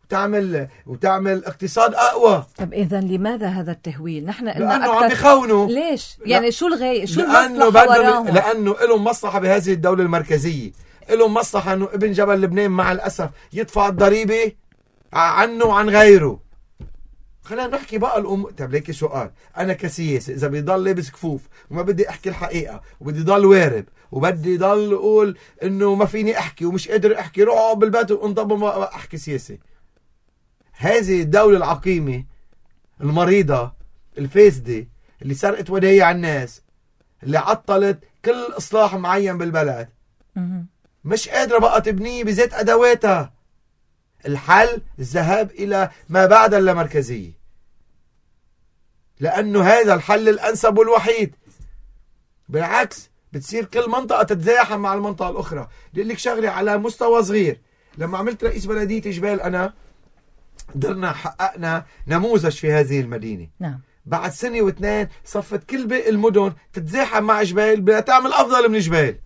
وتعمل وتعمل اقتصاد أقوى. طب إذا لماذا هذا التهويل؟ نحن لأنه أكتر... عم بيخونوا. ليش؟ يعني لا. شو الغاية؟ شو لأنه المصلحة وراهم؟ لأنه لهم مصلحة بهذه الدولة المركزية، لهم مصلحة إنه ابن جبل لبنان مع الأسف يدفع الضريبة عنه وعن غيره. خلينا نحكي بقى الأم. طب ليكي سؤال، أنا كسياسي إذا بيضل لابس كفوف وما بدي أحكي الحقيقة وبدي ضل وارب وبدي ضل أقول إنه ما فيني أحكي ومش قادر أحكي، روح أقعد بالبيت وانضب ما أحكي سياسي. هذه الدولة العقيمة المريضة الفاسدة اللي سرقت ودايع الناس، اللي عطلت كل إصلاح معين بالبلد، مش قادرة بقى تبنيه بذات أدواتها. الحل الذهاب إلى ما بعد اللامركزية، لأنه هذا الحل الأنسب والوحيد. بالعكس بتصير كل منطقة تتزاحم مع المنطقة الأخرى. بدي لك شغلة على مستوى صغير. لما عملت رئيس بلدية جبال أنا قدرنا حققنا نموذج في هذه المدينة. نعم. بعد سنة واثنين صفت كل باقي المدن تتزاحم مع جبال بدها تعمل أفضل من جبال.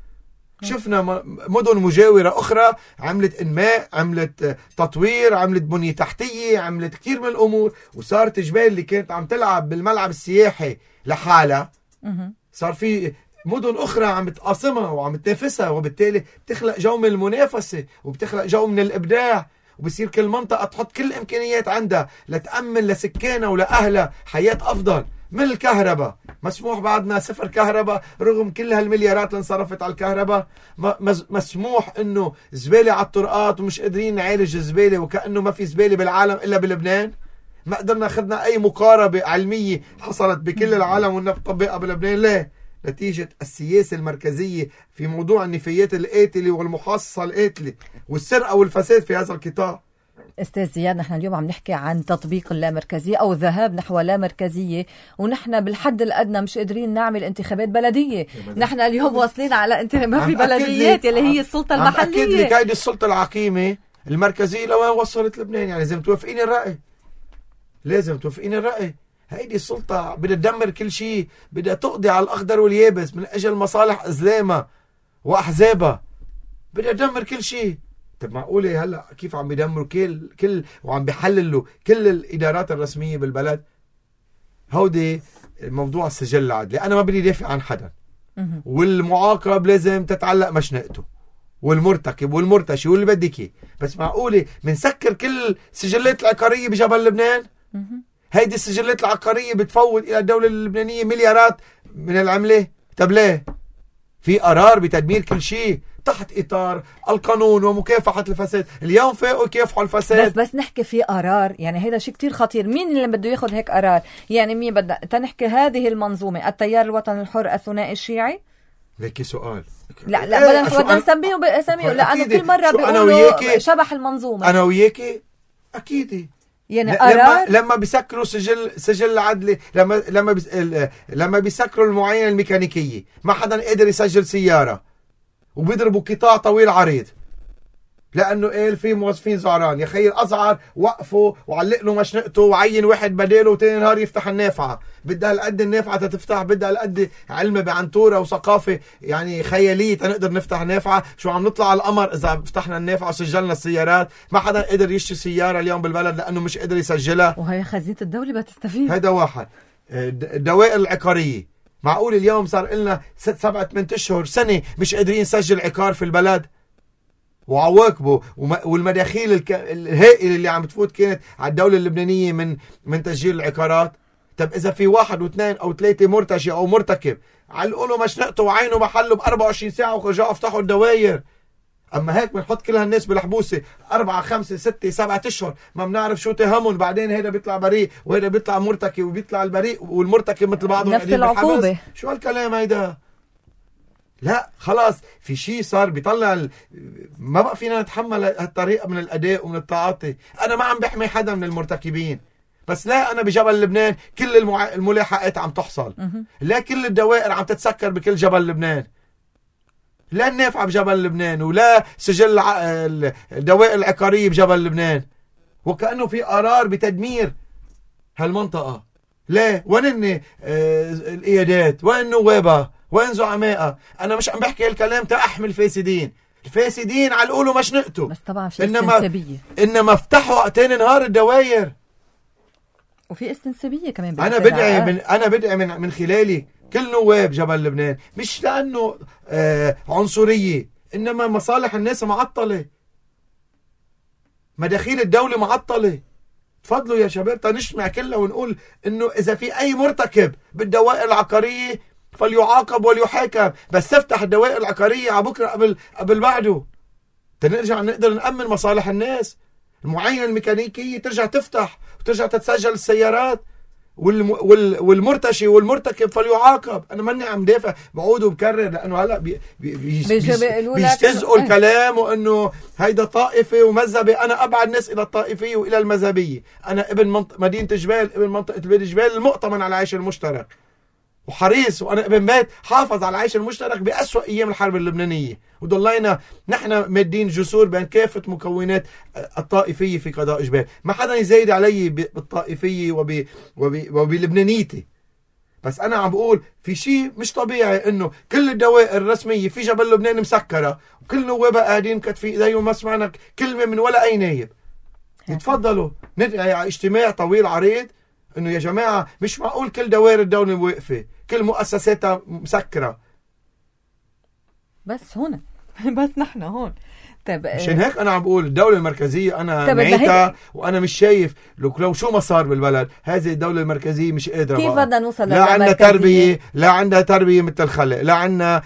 شفنا مدن مجاورة أخرى عملت إنماء، عملت تطوير، عملت بنية تحتية، عملت كثير من الأمور، وصارت جبال اللي كانت عم تلعب بالملعب السياحي لحالها صار في مدن أخرى عم بتقاسمها وعم تنافسها، وبالتالي بتخلق جو من المنافسة وبتخلق جو من الإبداع، وبصير كل منطقة تحط كل الإمكانيات عندها لتأمن لسكانها ولأهلها حياة أفضل. من الكهرباء مسموح بعدنا صفر كهرباء رغم كل هالمليارات اللي انصرفت على الكهرباء. مسموح انه زبالة على الطرقات ومش قادرين نعالج الزبالة وكأنه ما في زبالة بالعالم الا بلبنان. ما قدرنا اخذنا اي مقاربة علمية حصلت بكل العالم ونطبقها بلبنان. ليه؟ نتيجة السياسة المركزية في موضوع النفايات القاتلة والمحاصصة القاتلة والسرقة والفساد في هذا القطاع. استاذ زياد، نحن اليوم عم نحكي عن تطبيق اللامركزية او الذهاب نحو اللامركزية، ونحن بالحد الادنى مش قادرين نعمل انتخابات بلدية. نحن اليوم واصلين على انتخابات ما في بلديات يلي هي السلطة المحلية. اكيد لك هيدي السلطة العقيمة المركزية لوين وصلت لبنان. يعني لازم توافقين الرأي، لازم توافقين الرأي. هيدي السلطة بدها تدمر كل شيء، بدها تقضي على الأخضر واليابس من أجل مصالح أزلامها وأحزابها، بدها تدمر كل شيء. طب معقولة هلا كيف عم بيدمروا كل كل وعم بيحللوا كل الإدارات الرسمية بالبلد؟ هودي موضوع السجل العدلي. أنا ما بدي دافع عن حدا، والمعاقب لازم تتعلق مشنقته، والمرتكب والمرتشي واللي بدك اياه. بس معقولة منسكر كل سجلات العقارية بجبل لبنان؟ هيدي السجلات العقارية بتفوت إلى الدولة اللبنانية مليارات من العملة. طب ليه؟ في قرار بتدمير كل شيء تحت إطار القانون ومكافحة الفساد. اليوم فاقوا يكافحوا الفساد. بس بس نحكي في قرار، يعني هيدا شيء كتير خطير. مين اللي بده ياخد هيك قرار؟ يعني مين بدنا تنحكي هذه المنظومة التيار الوطني الحر الثنائي الشيعي؟ ليكي سؤال. لا لا بدنا بدنا نسميه باساميه، لأنه كل مرة بيقولوا شبح المنظومة. أنا وياكي أكيد. يعني لما لما بيسكروا سجل سجل عدلي، لما لما بيس لما بيسكروا المعاينة الميكانيكية ما حدا قادر يسجل سيارة، وبيضربوا قطاع طويل عريض. لانه قال في موظفين زعران. يا خيي الازعر وقفوا وعلق له مشنقته وعين واحد بداله وتاني نهار يفتح النافعه. بدها هالقد النافعه تتفتح، بدها هالقد علم بعنتوره وثقافه يعني خياليه تنقدر نفتح نافعه. شو عم نطلع على القمر اذا فتحنا النافعه وسجلنا السيارات؟ ما حدا قدر يشتري سياره اليوم بالبلد لانه مش قدر يسجلها، وهي خزينه الدوله بتستفيد. هذا واحد. الدوائر العقاريه، معقول اليوم صار لنا ست سبعة ثمان اشهر سنه مش قادرين نسجل عقار في البلد؟ وعواقبه والمداخيل الك... الهائله اللي عم تفوت كانت على الدوله اللبنانيه من من تسجيل العقارات. طب اذا في واحد واثنين او ثلاثه مرتشي او مرتكب علقوا له مشنقته وعينه محله ب أربعة وعشرين ساعه ورجعوا افتحوا الدواير. اما هيك بنحط كل هالناس بالحبوسه أربعة خمسة ستة سبعة اشهر ما بنعرف شو تهمهم، بعدين هيدا بيطلع بريء وهيدا بيطلع مرتكب وبيطلع البريء والمرتكب مثل بعضهم نفس العقوبه. شو هالكلام هيدا؟ لا خلاص في شيء صار بيطلع ال... ما بقى فينا نتحمل هالطريقه من الاداء ومن التعاطي. انا ما عم بحمي حدا من المرتكبين، بس لا انا بجبل لبنان كل المع... الملاحقات عم تحصل، لا كل الدوائر عم تتسكر بكل جبل لبنان، لا النافعه بجبل لبنان ولا سجل الدوائر العقاريه بجبل لبنان، وكانه في قرار بتدمير هالمنطقه. لا وين آه القيادات؟ وين نوابها؟ وين زعمائها؟ انا مش عم بحكي هالكلام تأحمي الفاسدين، الفاسدين على القولوا مشنقته، بس طبعا في إنما استنسابيه، انما افتحوا تاني نهار الدواير وفي استنسابيه كمان. انا بدعي من انا بدعي من من خلالي كل نواب جبل لبنان، مش لانه آه عنصريه، انما مصالح الناس معطله، مداخيل الدوله معطله. تفضلوا يا شباب تنجمع كلها ونقول انه اذا في اي مرتكب بالدوائر العقاريه فليعاقب وليحاكم، بس تفتح الدوائر العقاريه على بكره قبل قبل بعده تنرجع نقدر نأمن مصالح الناس. المعاينه الميكانيكيه ترجع تفتح وترجع تتسجل السيارات، والم... وال... والمرتشي والمرتكب فليعاقب. انا ماني عم دافع، بعود وبكرر لانه هلا بي... بي... بي... بيستزقوا الكلام وانه هيدا طائفي ومذهبي. انا ابعد ناس الى الطائفيه والى المذهبيه. انا ابن منط... مدينه جبال، ابن منطقه بلاد جبال المؤتمن على العيش المشترك وحريص، وانا ابن بيت حافظ على العيش المشترك بأسوأ ايام الحرب اللبنانيه، وضلينا نحن مادين جسور بين كافه مكونات الطائفيه في قضاء جبال. ما حدا يزايد علي بالطائفيه وب وب وبلبنانيتي، بس انا عم بقول في شيء مش طبيعي انه كل الدوائر الرسميه في جبل لبنان مسكره وكل نوابها قاعدين كتفي ايديهم، ما سمعنا كلمه من ولا اي نايب. يتفضلوا ندعي على اجتماع طويل عريض انه يا جماعه مش معقول كل دوائر الدوله واقفه، كل مؤسساتها مسكره. بس هون بس نحن هون. طيب مشان هيك انا عم بقول الدوله المركزيه انا نعيتها، وانا مش شايف لو لو شو ما صار بالبلد هذه الدوله المركزيه مش قادره. كيف بدنا نوصل لا عندنا تربيه، لا عندها تربيه مثل الخلق، لا عندنا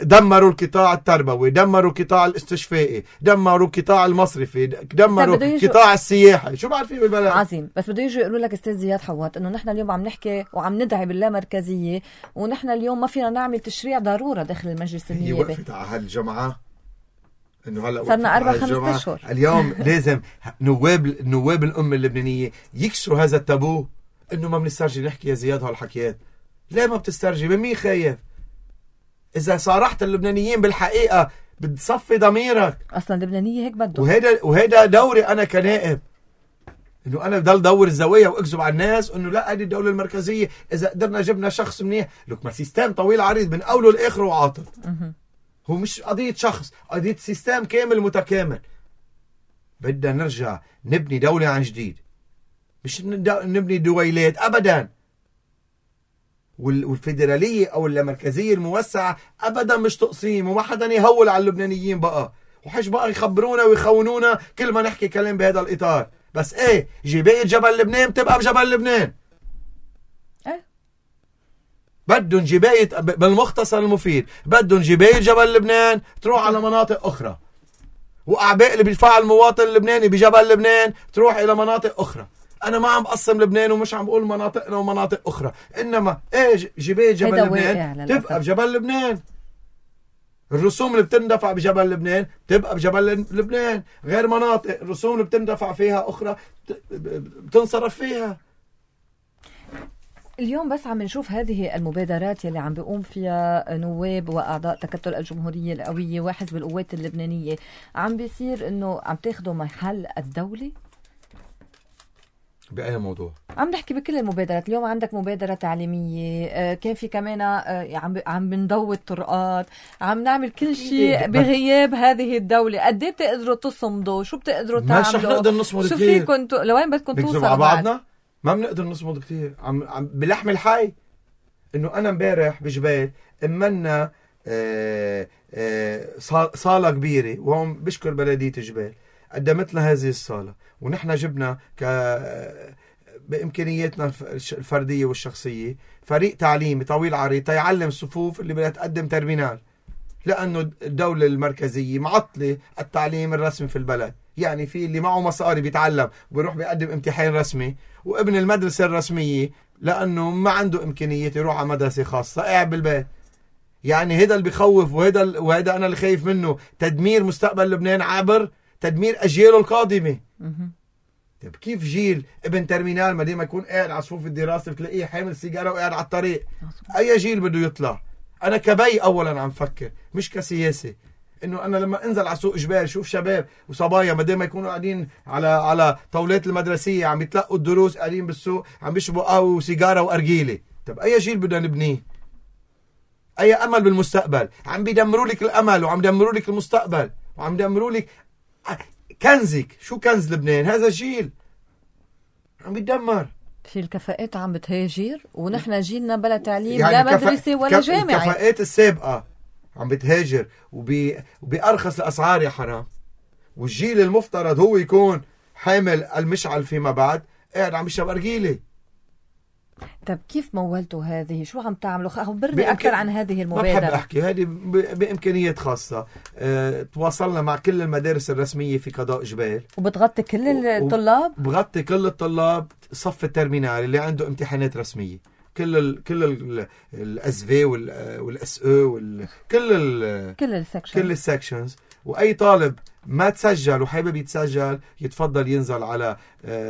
دمروا القطاع التربوي، دمروا القطاع الاستشفائي، دمروا القطاع المصرفي، دمروا القطاع السياحي. شو بعرف فيه بالبلد؟ عظيم. بس بده يجوا يقولوا لك استاذ زياد حوات انه نحن اليوم عم نحكي وعم ندعي باللامركزيه، ونحن اليوم ما فينا نعمل تشريع ضروره داخل المجلس النيابي. هي وقفت على هالجمعه انه هلا صرنا أربع خمس اشهر. اليوم لازم نواب نواب الامه اللبنانيه يكسروا هذا التابو انه ما بنسترجي نحكي يا زياد هالحكيات. ليه ما بتسترجي؟ من مين خايف؟ اذا صارحت اللبنانيين بالحقيقه بتصفي ضميرك. اصلا اللبنانيه هيك بدهم، وهيدا وهيدا دوري انا كنائب، انه انا بضل دور الزوايا واكذب على الناس انه لا هذه الدوله المركزيه اذا قدرنا جبنا شخص منيح. لك ما سيستم طويل عريض من اوله لاخره وعاطل. هو مش قضية شخص، قضية سيستم كامل متكامل. بدنا نرجع نبني دولة عن جديد، مش نبني دويلات أبدا. والفيدرالية أو اللامركزية الموسعة أبدا مش تقسيم، وما حدا يهول على اللبنانيين بقى، وحش بقى يخبرونا ويخونونا كل ما نحكي كلام بهذا الإطار. بس إيه جباية جبل لبنان بتبقى بجبل لبنان. بدهم جباية بالمختصر المفيد، بدهم جباية جبل لبنان تروح على مناطق أخرى، وأعباء اللي بيدفعها المواطن اللبناني بجبل لبنان تروح إلى مناطق أخرى. أنا ما عم بقسم لبنان ومش عم بقول مناطقنا ومناطق أخرى، إنما إيه جباية جبل لبنان تبقى بجبل لبنان. الرسوم اللي بتندفع بجبل لبنان تبقى بجبل لبنان، غير مناطق الرسوم اللي بتندفع فيها أخرى بتنصرف فيها. اليوم بس عم نشوف هذه المبادرات يلي عم بيقوم فيها نواب وأعضاء تكتل الجمهورية القوية وحزب القوات اللبنانية، عم بيصير إنه عم تاخدوا محل الدولة؟ بأي موضوع؟ عم نحكي بكل المبادرات. اليوم عندك مبادرة تعليمية، كان في كمان عم عم بنضوي الطرقات، عم نعمل كل شيء بغياب هذه الدولة. قد ايه بتقدروا تصمدوا؟ شو بتقدروا تعملوا؟ مش رح نقدر نصمد كثير. شو فيكم تو... لوين بدكم توصلوا مع بعضنا؟ ما بنقدر نصمد كثير. عم عم بلحم الحي. انه انا امبارح بجبال امنا آه آه صالة كبيرة، وهم بشكر بلدية جبال قدمت لنا هذه الصالة، ونحن جبنا ك بإمكانياتنا الفردية والشخصية فريق تعليمي طويل عريض تيعلم الصفوف اللي بدها تقدم ترمينال، لأنه الدولة المركزية معطلة التعليم الرسمي في البلد. يعني في اللي معه مصاري بيتعلم وبيروح بيقدم امتحان رسمي، وابن المدرسة الرسمية لأنه ما عنده إمكانيات يروح على مدرسة خاصة قاعد بالبيت. يعني هذا اللي بيخوف، وهذا وهذا أنا اللي خايف منه، تدمير مستقبل لبنان عبر تدمير أجياله القادمة. طيب كيف جيل ابن ترمينال ما ديما يكون قاعد على صفوف الدراسة بتلاقيه حامل سيجارة وقاعد على الطريق؟ أي جيل بده يطلع؟ أنا كبي أولا عم فكر مش كسياسي، إنه أنا لما أنزل على سوق جبال شوف شباب وصبايا ما ديما يكونوا قاعدين على على طاولات المدرسية عم يتلقوا الدروس، قاعدين بالسوق عم بيشربوا قهوة وسيجارة وأرجيلة. طب أي جيل بدنا نبنيه؟ أي أمل بالمستقبل؟ عم بيدمروا لك الأمل وعم يدمروا لك المستقبل وعم يدمروا لك كنزك. شو كنز لبنان؟ هذا جيل عم بيتدمر. في الكفاءات عم بتهاجر، ونحن جيلنا بلا تعليم يعني لا مدرسة ولا جامعة. الكفاءات السابقة عم بتهاجر وبي... وبأرخص الأسعار يا حرام، والجيل المفترض هو يكون حامل المشعل فيما بعد قاعد عم يشرب أرجيلة. طب كيف مولتوا هذه؟ شو عم تعملوا؟ خبرني بإمكان... أكثر عن هذه المبادرة. ما بحب أحكي، هذه ب... بإمكانيات خاصة. أه... تواصلنا مع كل المدارس الرسمية في قضاء جبال، وبتغطي كل الطلاب؟ بغطي كل الطلاب صف الترمينال اللي عنده امتحانات رسمية، كل ال كل ال الاس في والاس او وال كل ال كل السكشنز كل السكشنز. واي طالب ما تسجل وحابب يتسجل يتفضل ينزل على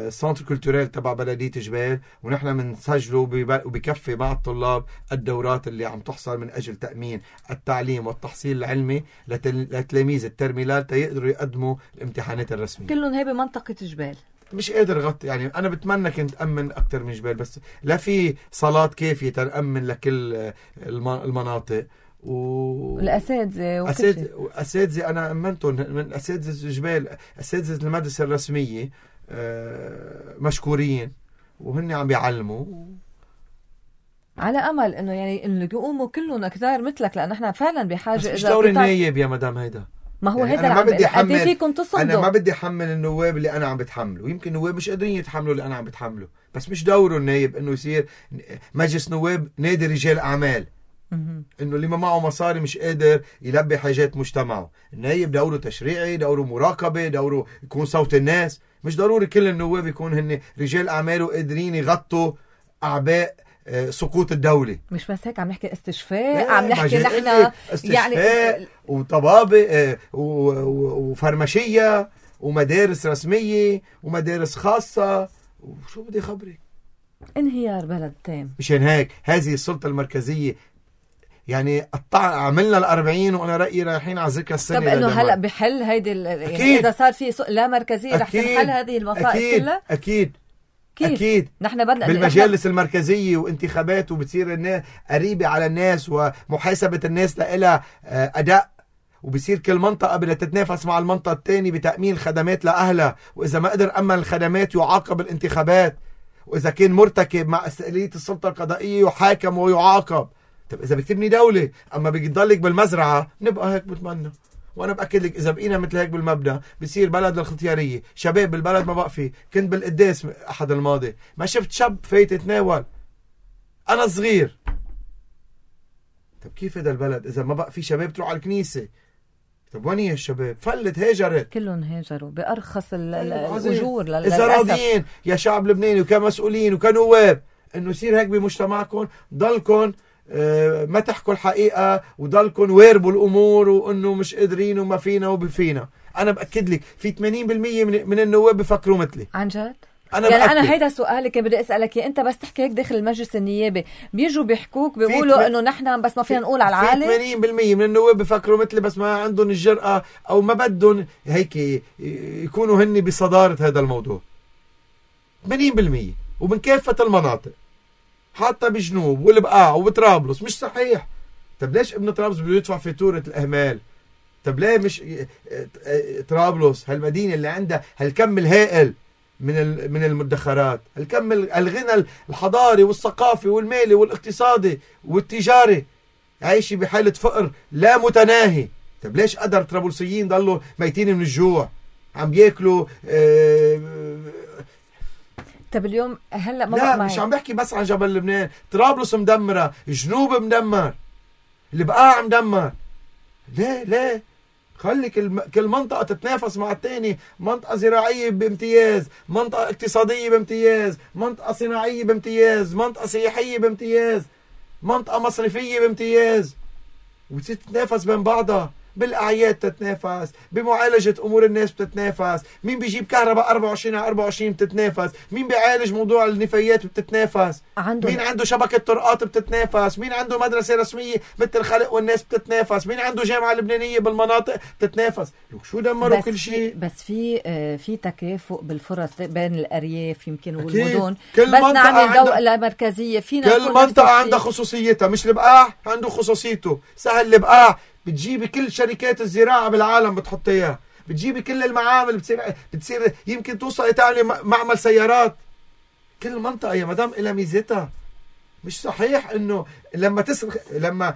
سنتر كولتوريل تبع بلدية جبال، ونحن بنسجله وبكفي مع الطلاب الدورات اللي عم تحصل من اجل تأمين التعليم والتحصيل العلمي لتلاميذ الترمينال تيقدروا يقدموا الامتحانات الرسمية. كلهم هي بمنطقة جبال. مش قادر غطي، يعني أنا بتمنى كنت أمن أكتر من جبال، بس لا في صالات كافية تأمن لكل المناطق. والأساتذة وأساتذة أنا أمنتهم من أساتذة جبال، أساتذة المدرسة الرسمية مشكورين وهن عم بيعلموا، على أمل إنه يعني إنه يقوموا كلهم أكثر مثلك، لأن إحنا فعلا بحاجة. مش دور النايب يا مدام هيدا، ما هو يعني هذا أنا ما بدي أحمل، فيكم تصمدوا. أنا ما بدي أحمل النواب اللي أنا عم بتحمله، ويمكن النواب مش قادرين يتحملوا اللي أنا عم بتحمله، بس مش دوره النايب إنه يصير مجلس نواب نادي رجال أعمال، إنه اللي ما معه مصاري مش قادر يلبي حاجات مجتمعه. النايب دوره تشريعي، دوره مراقبة، دوره يكون صوت الناس. مش ضروري كل النواب يكون هن رجال أعمال وقادرين يغطوا أعباء سقوط الدولة. مش بس هيك، عم نحكي استشفاء، عم نحكي نحن يعني وطبابة وفرمشية ومدارس رسمية ومدارس خاصة، وشو بدي خبرك؟ انهيار بلد تام. مشان هيك هذه السلطة المركزية يعني قطع عملنا الأربعين، وأنا رأيي رايحين على ذكرى السنة. طب إنه هلأ بحل هيدي يعني إذا صار في لا مركزية رح تنحل هذه المصائب كلها؟ أكيد كيف؟ أكيد. نحن بدنا بالمجالس المركزية وانتخابات، وبتصير الناس قريبة على الناس، ومحاسبة الناس لها أداء، وبصير كل منطقة بدها تتنافس مع المنطقة الثانية بتأمين الخدمات لأهلها، وإذا ما قدر أمن الخدمات يعاقب الانتخابات، وإذا كان مرتكب مع استقلالية السلطة القضائية يحاكم ويعاقب. طب إذا بتبني دولة أما بيضلك بالمزرعة نبقى هيك بتمنى. وأنا بأكد لك إذا بقينا مثل هيك بالمبدأ بصير بلد للختيارية. شباب بالبلد ما بقى فيه. كنت بالقداس أحد الماضي ما شفت شاب فايت يتناول، أنا صغير. طب كيف هذا البلد إذا ما بقى فيه شباب تروح على الكنيسة؟ طب وين هي الشباب؟ فلت هاجرت، كلهم هاجروا بأرخص الأجور. إذا راضيين يا شعب لبناني وكمسؤولين وكنواب إنه يصير هيك بمجتمعكم، ضلكم ما تحكوا الحقيقة وضلكم واربوا الأمور وإنه مش قادرين وما فينا وبفينا. أنا بأكد لك في ثمانين بالمية من, من النواب بفكروا مثلي. عن جد؟ أنا يعني بأكد. أنا هيدا سؤالي كان بدي أسألك يا أنت بس تحكي هيك داخل المجلس النيابي بيجوا بيحكوك بيقولوا إنه نحن بس ما فينا نقول على العالم. ثمانين بالمية من النواب بفكروا مثلي بس ما عندهم الجرأة أو ما بدهم هيك يكونوا هني بصدارة هذا الموضوع. ثمانين بالمية ومن كافة المناطق حتى بجنوب والبقاع وبطرابلس. مش صحيح. طب ليش ابن طرابلس بده يدفع فاتورة الأهمال؟ طب ليه مش طرابلس هالمدينة اللي عندها هالكم الهائل من من المدخرات، الكم الغنى الحضاري والثقافي والمالي والاقتصادي والتجاري، عايشة بحالة فقر لا متناهي. طب ليش قدر طرابلسيين ضلوا ميتين من الجوع عم بياكلوا؟ اه طب اليوم هلا ما لا معي. مش عم بحكي بس عن جبل لبنان. طرابلس مدمرة، جنوب مدمر، البقاع مدمر. ليه ليه خلي كل كل منطقة تتنافس مع الثاني. منطقة زراعية بامتياز، منطقة اقتصادية بامتياز، منطقة صناعية بامتياز، منطقة سياحية بامتياز، منطقة مصرفية بامتياز، وتصير تتنافس بين بعضها. بالأعياد تتنافس، بمعالجة أمور الناس بتتنافس، مين بيجيب كهرباء أربعة وعشرين على أربعة وعشرين بتتنافس، مين بيعالج موضوع النفايات بتتنافس، عنده مين عنده شبكة طرقات بتتنافس، مين عنده مدرسة رسمية مثل الخلق والناس بتتنافس، مين عنده جامعة لبنانية بالمناطق بتتنافس. شو دمروا كل شيء. بس في في تكافؤ بالفرص بين الأرياف يمكن والمدن. بس نعمل دولة مركزية فينا. كل منطقة عندها خصوصيتها. مش البقاع عنده خصوصيته. سهل البقاع بتجيبي كل شركات الزراعة بالعالم بتحط اياها، بتجيبي كل المعامل بتصير بتصير يمكن توصل تعملي معمل سيارات. كل منطقة يا مدام إلها ميزتها. مش صحيح انه لما تسرخ لما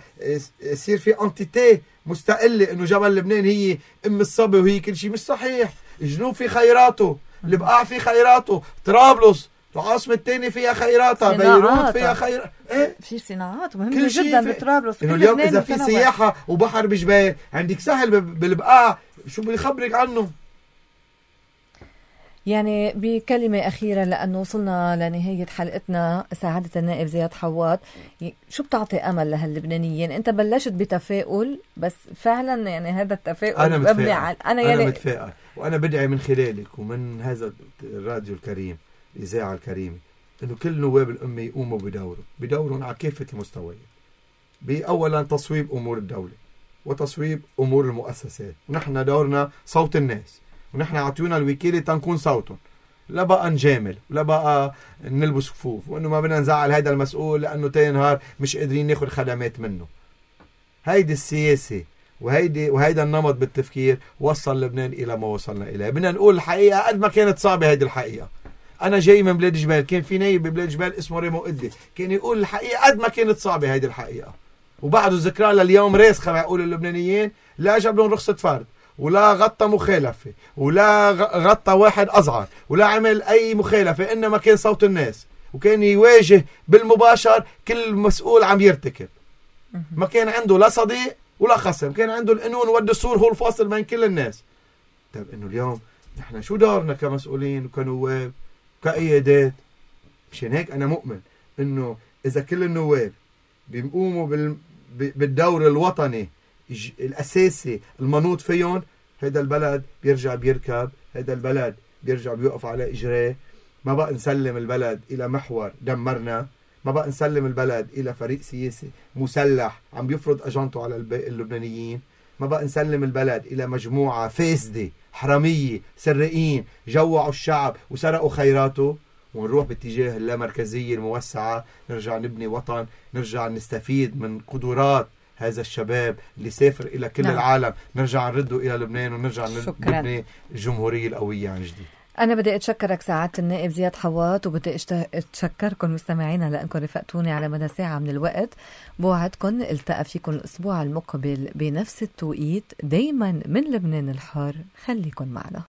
يصير في انتيتي مستقلة انه جبل لبنان هي ام الصبي وهي كل شيء. مش صحيح. الجنوب في خيراته، البقاع في خيراته، طرابلس العاصمة الثانية فيها خيراتها، بيروت فيها خير ايه في صناعات مهمة جدا بطرابلس. انه اليوم اذا في سياحة وبحر بجبال عندك سهل بالبقاع شو بيخبرك عنه. يعني بكلمة أخيرة لأنه وصلنا لنهاية حلقتنا، سعادة النائب زياد حواد، شو بتعطي أمل لهاللبنانيين؟ أنت بلشت بتفاؤل بس فعلا يعني هذا التفاؤل أنا متفائل. أنا, أنا, يعني أنا متفائل وأنا بدعي من خلالك ومن هذا الراديو الكريم الإذاعة الكريمة إنه كل نواب الأمة يقوموا بدورهم بدورهم على كافة المستويات. بأولا تصويب أمور الدولة وتصويب أمور المؤسسات، ونحن دورنا صوت الناس، ونحن عطيونا الوكيلة تنكون صوتهم. لا بقى نجامل ولا بقى نلبس كفوف وإنه ما بدنا نزعل هذا المسؤول لأنه تاني نهار مش قادرين ناخد خدمات منه. هيدي السياسة وهيدي وهيدا النمط بالتفكير وصل لبنان إلى ما وصلنا إليه. بدنا نقول الحقيقة قد ما كانت صعبة هيدي الحقيقة. أنا جاي من بلاد جبال، كان في نايب ببلاد جبال اسمه ريمو قدي كان يقول الحقيقة قد ما كانت صعبة هيدي الحقيقة، وبعده ذكرى لليوم راسخة بيقول اللبنانيين. لا جاب لهم رخصة فرد ولا غطى مخالفة ولا غطى واحد أصغر ولا عمل أي مخالفة، إنما كان صوت الناس وكان يواجه بالمباشر كل مسؤول عم يرتكب. ما كان عنده لا صديق ولا خصم، كان عنده القانون والدستور هو الفاصل بين كل الناس. طيب إنه اليوم نحن شو دورنا كمسؤولين وكنواب كقيادات؟ مشان هيك أنا مؤمن إنه إذا كل النواب بيقوموا بال... بالدور الوطني الأساسي المنوط فيهم، هذا البلد بيرجع بيركب، هذا البلد بيرجع بيوقف على إجراه. ما بقى نسلم البلد إلى محور دمرنا، ما بقى نسلم البلد إلى فريق سياسي مسلح عم بيفرض أجندته على اللبنانيين، ما بقى نسلم البلد إلى مجموعة فاسدة حرامية سرقين جوعوا الشعب وسرقوا خيراته، ونروح باتجاه اللامركزية الموسعة. نرجع نبني وطن، نرجع نستفيد من قدرات هذا الشباب اللي سافر إلى كل نعم. العالم، نرجع نرده إلى لبنان ونرجع شكرا. نبني الجمهورية القوية عن جديد. أنا بدي أتشكرك سعادة النائب زياد حواد، وبدي أتشكركم مستمعينا لأنكم رفقتوني على مدى ساعة من الوقت. بوعدكم التقى فيكم الأسبوع المقبل بنفس التوقيت، دايما من لبنان الحر. خليكن معنا.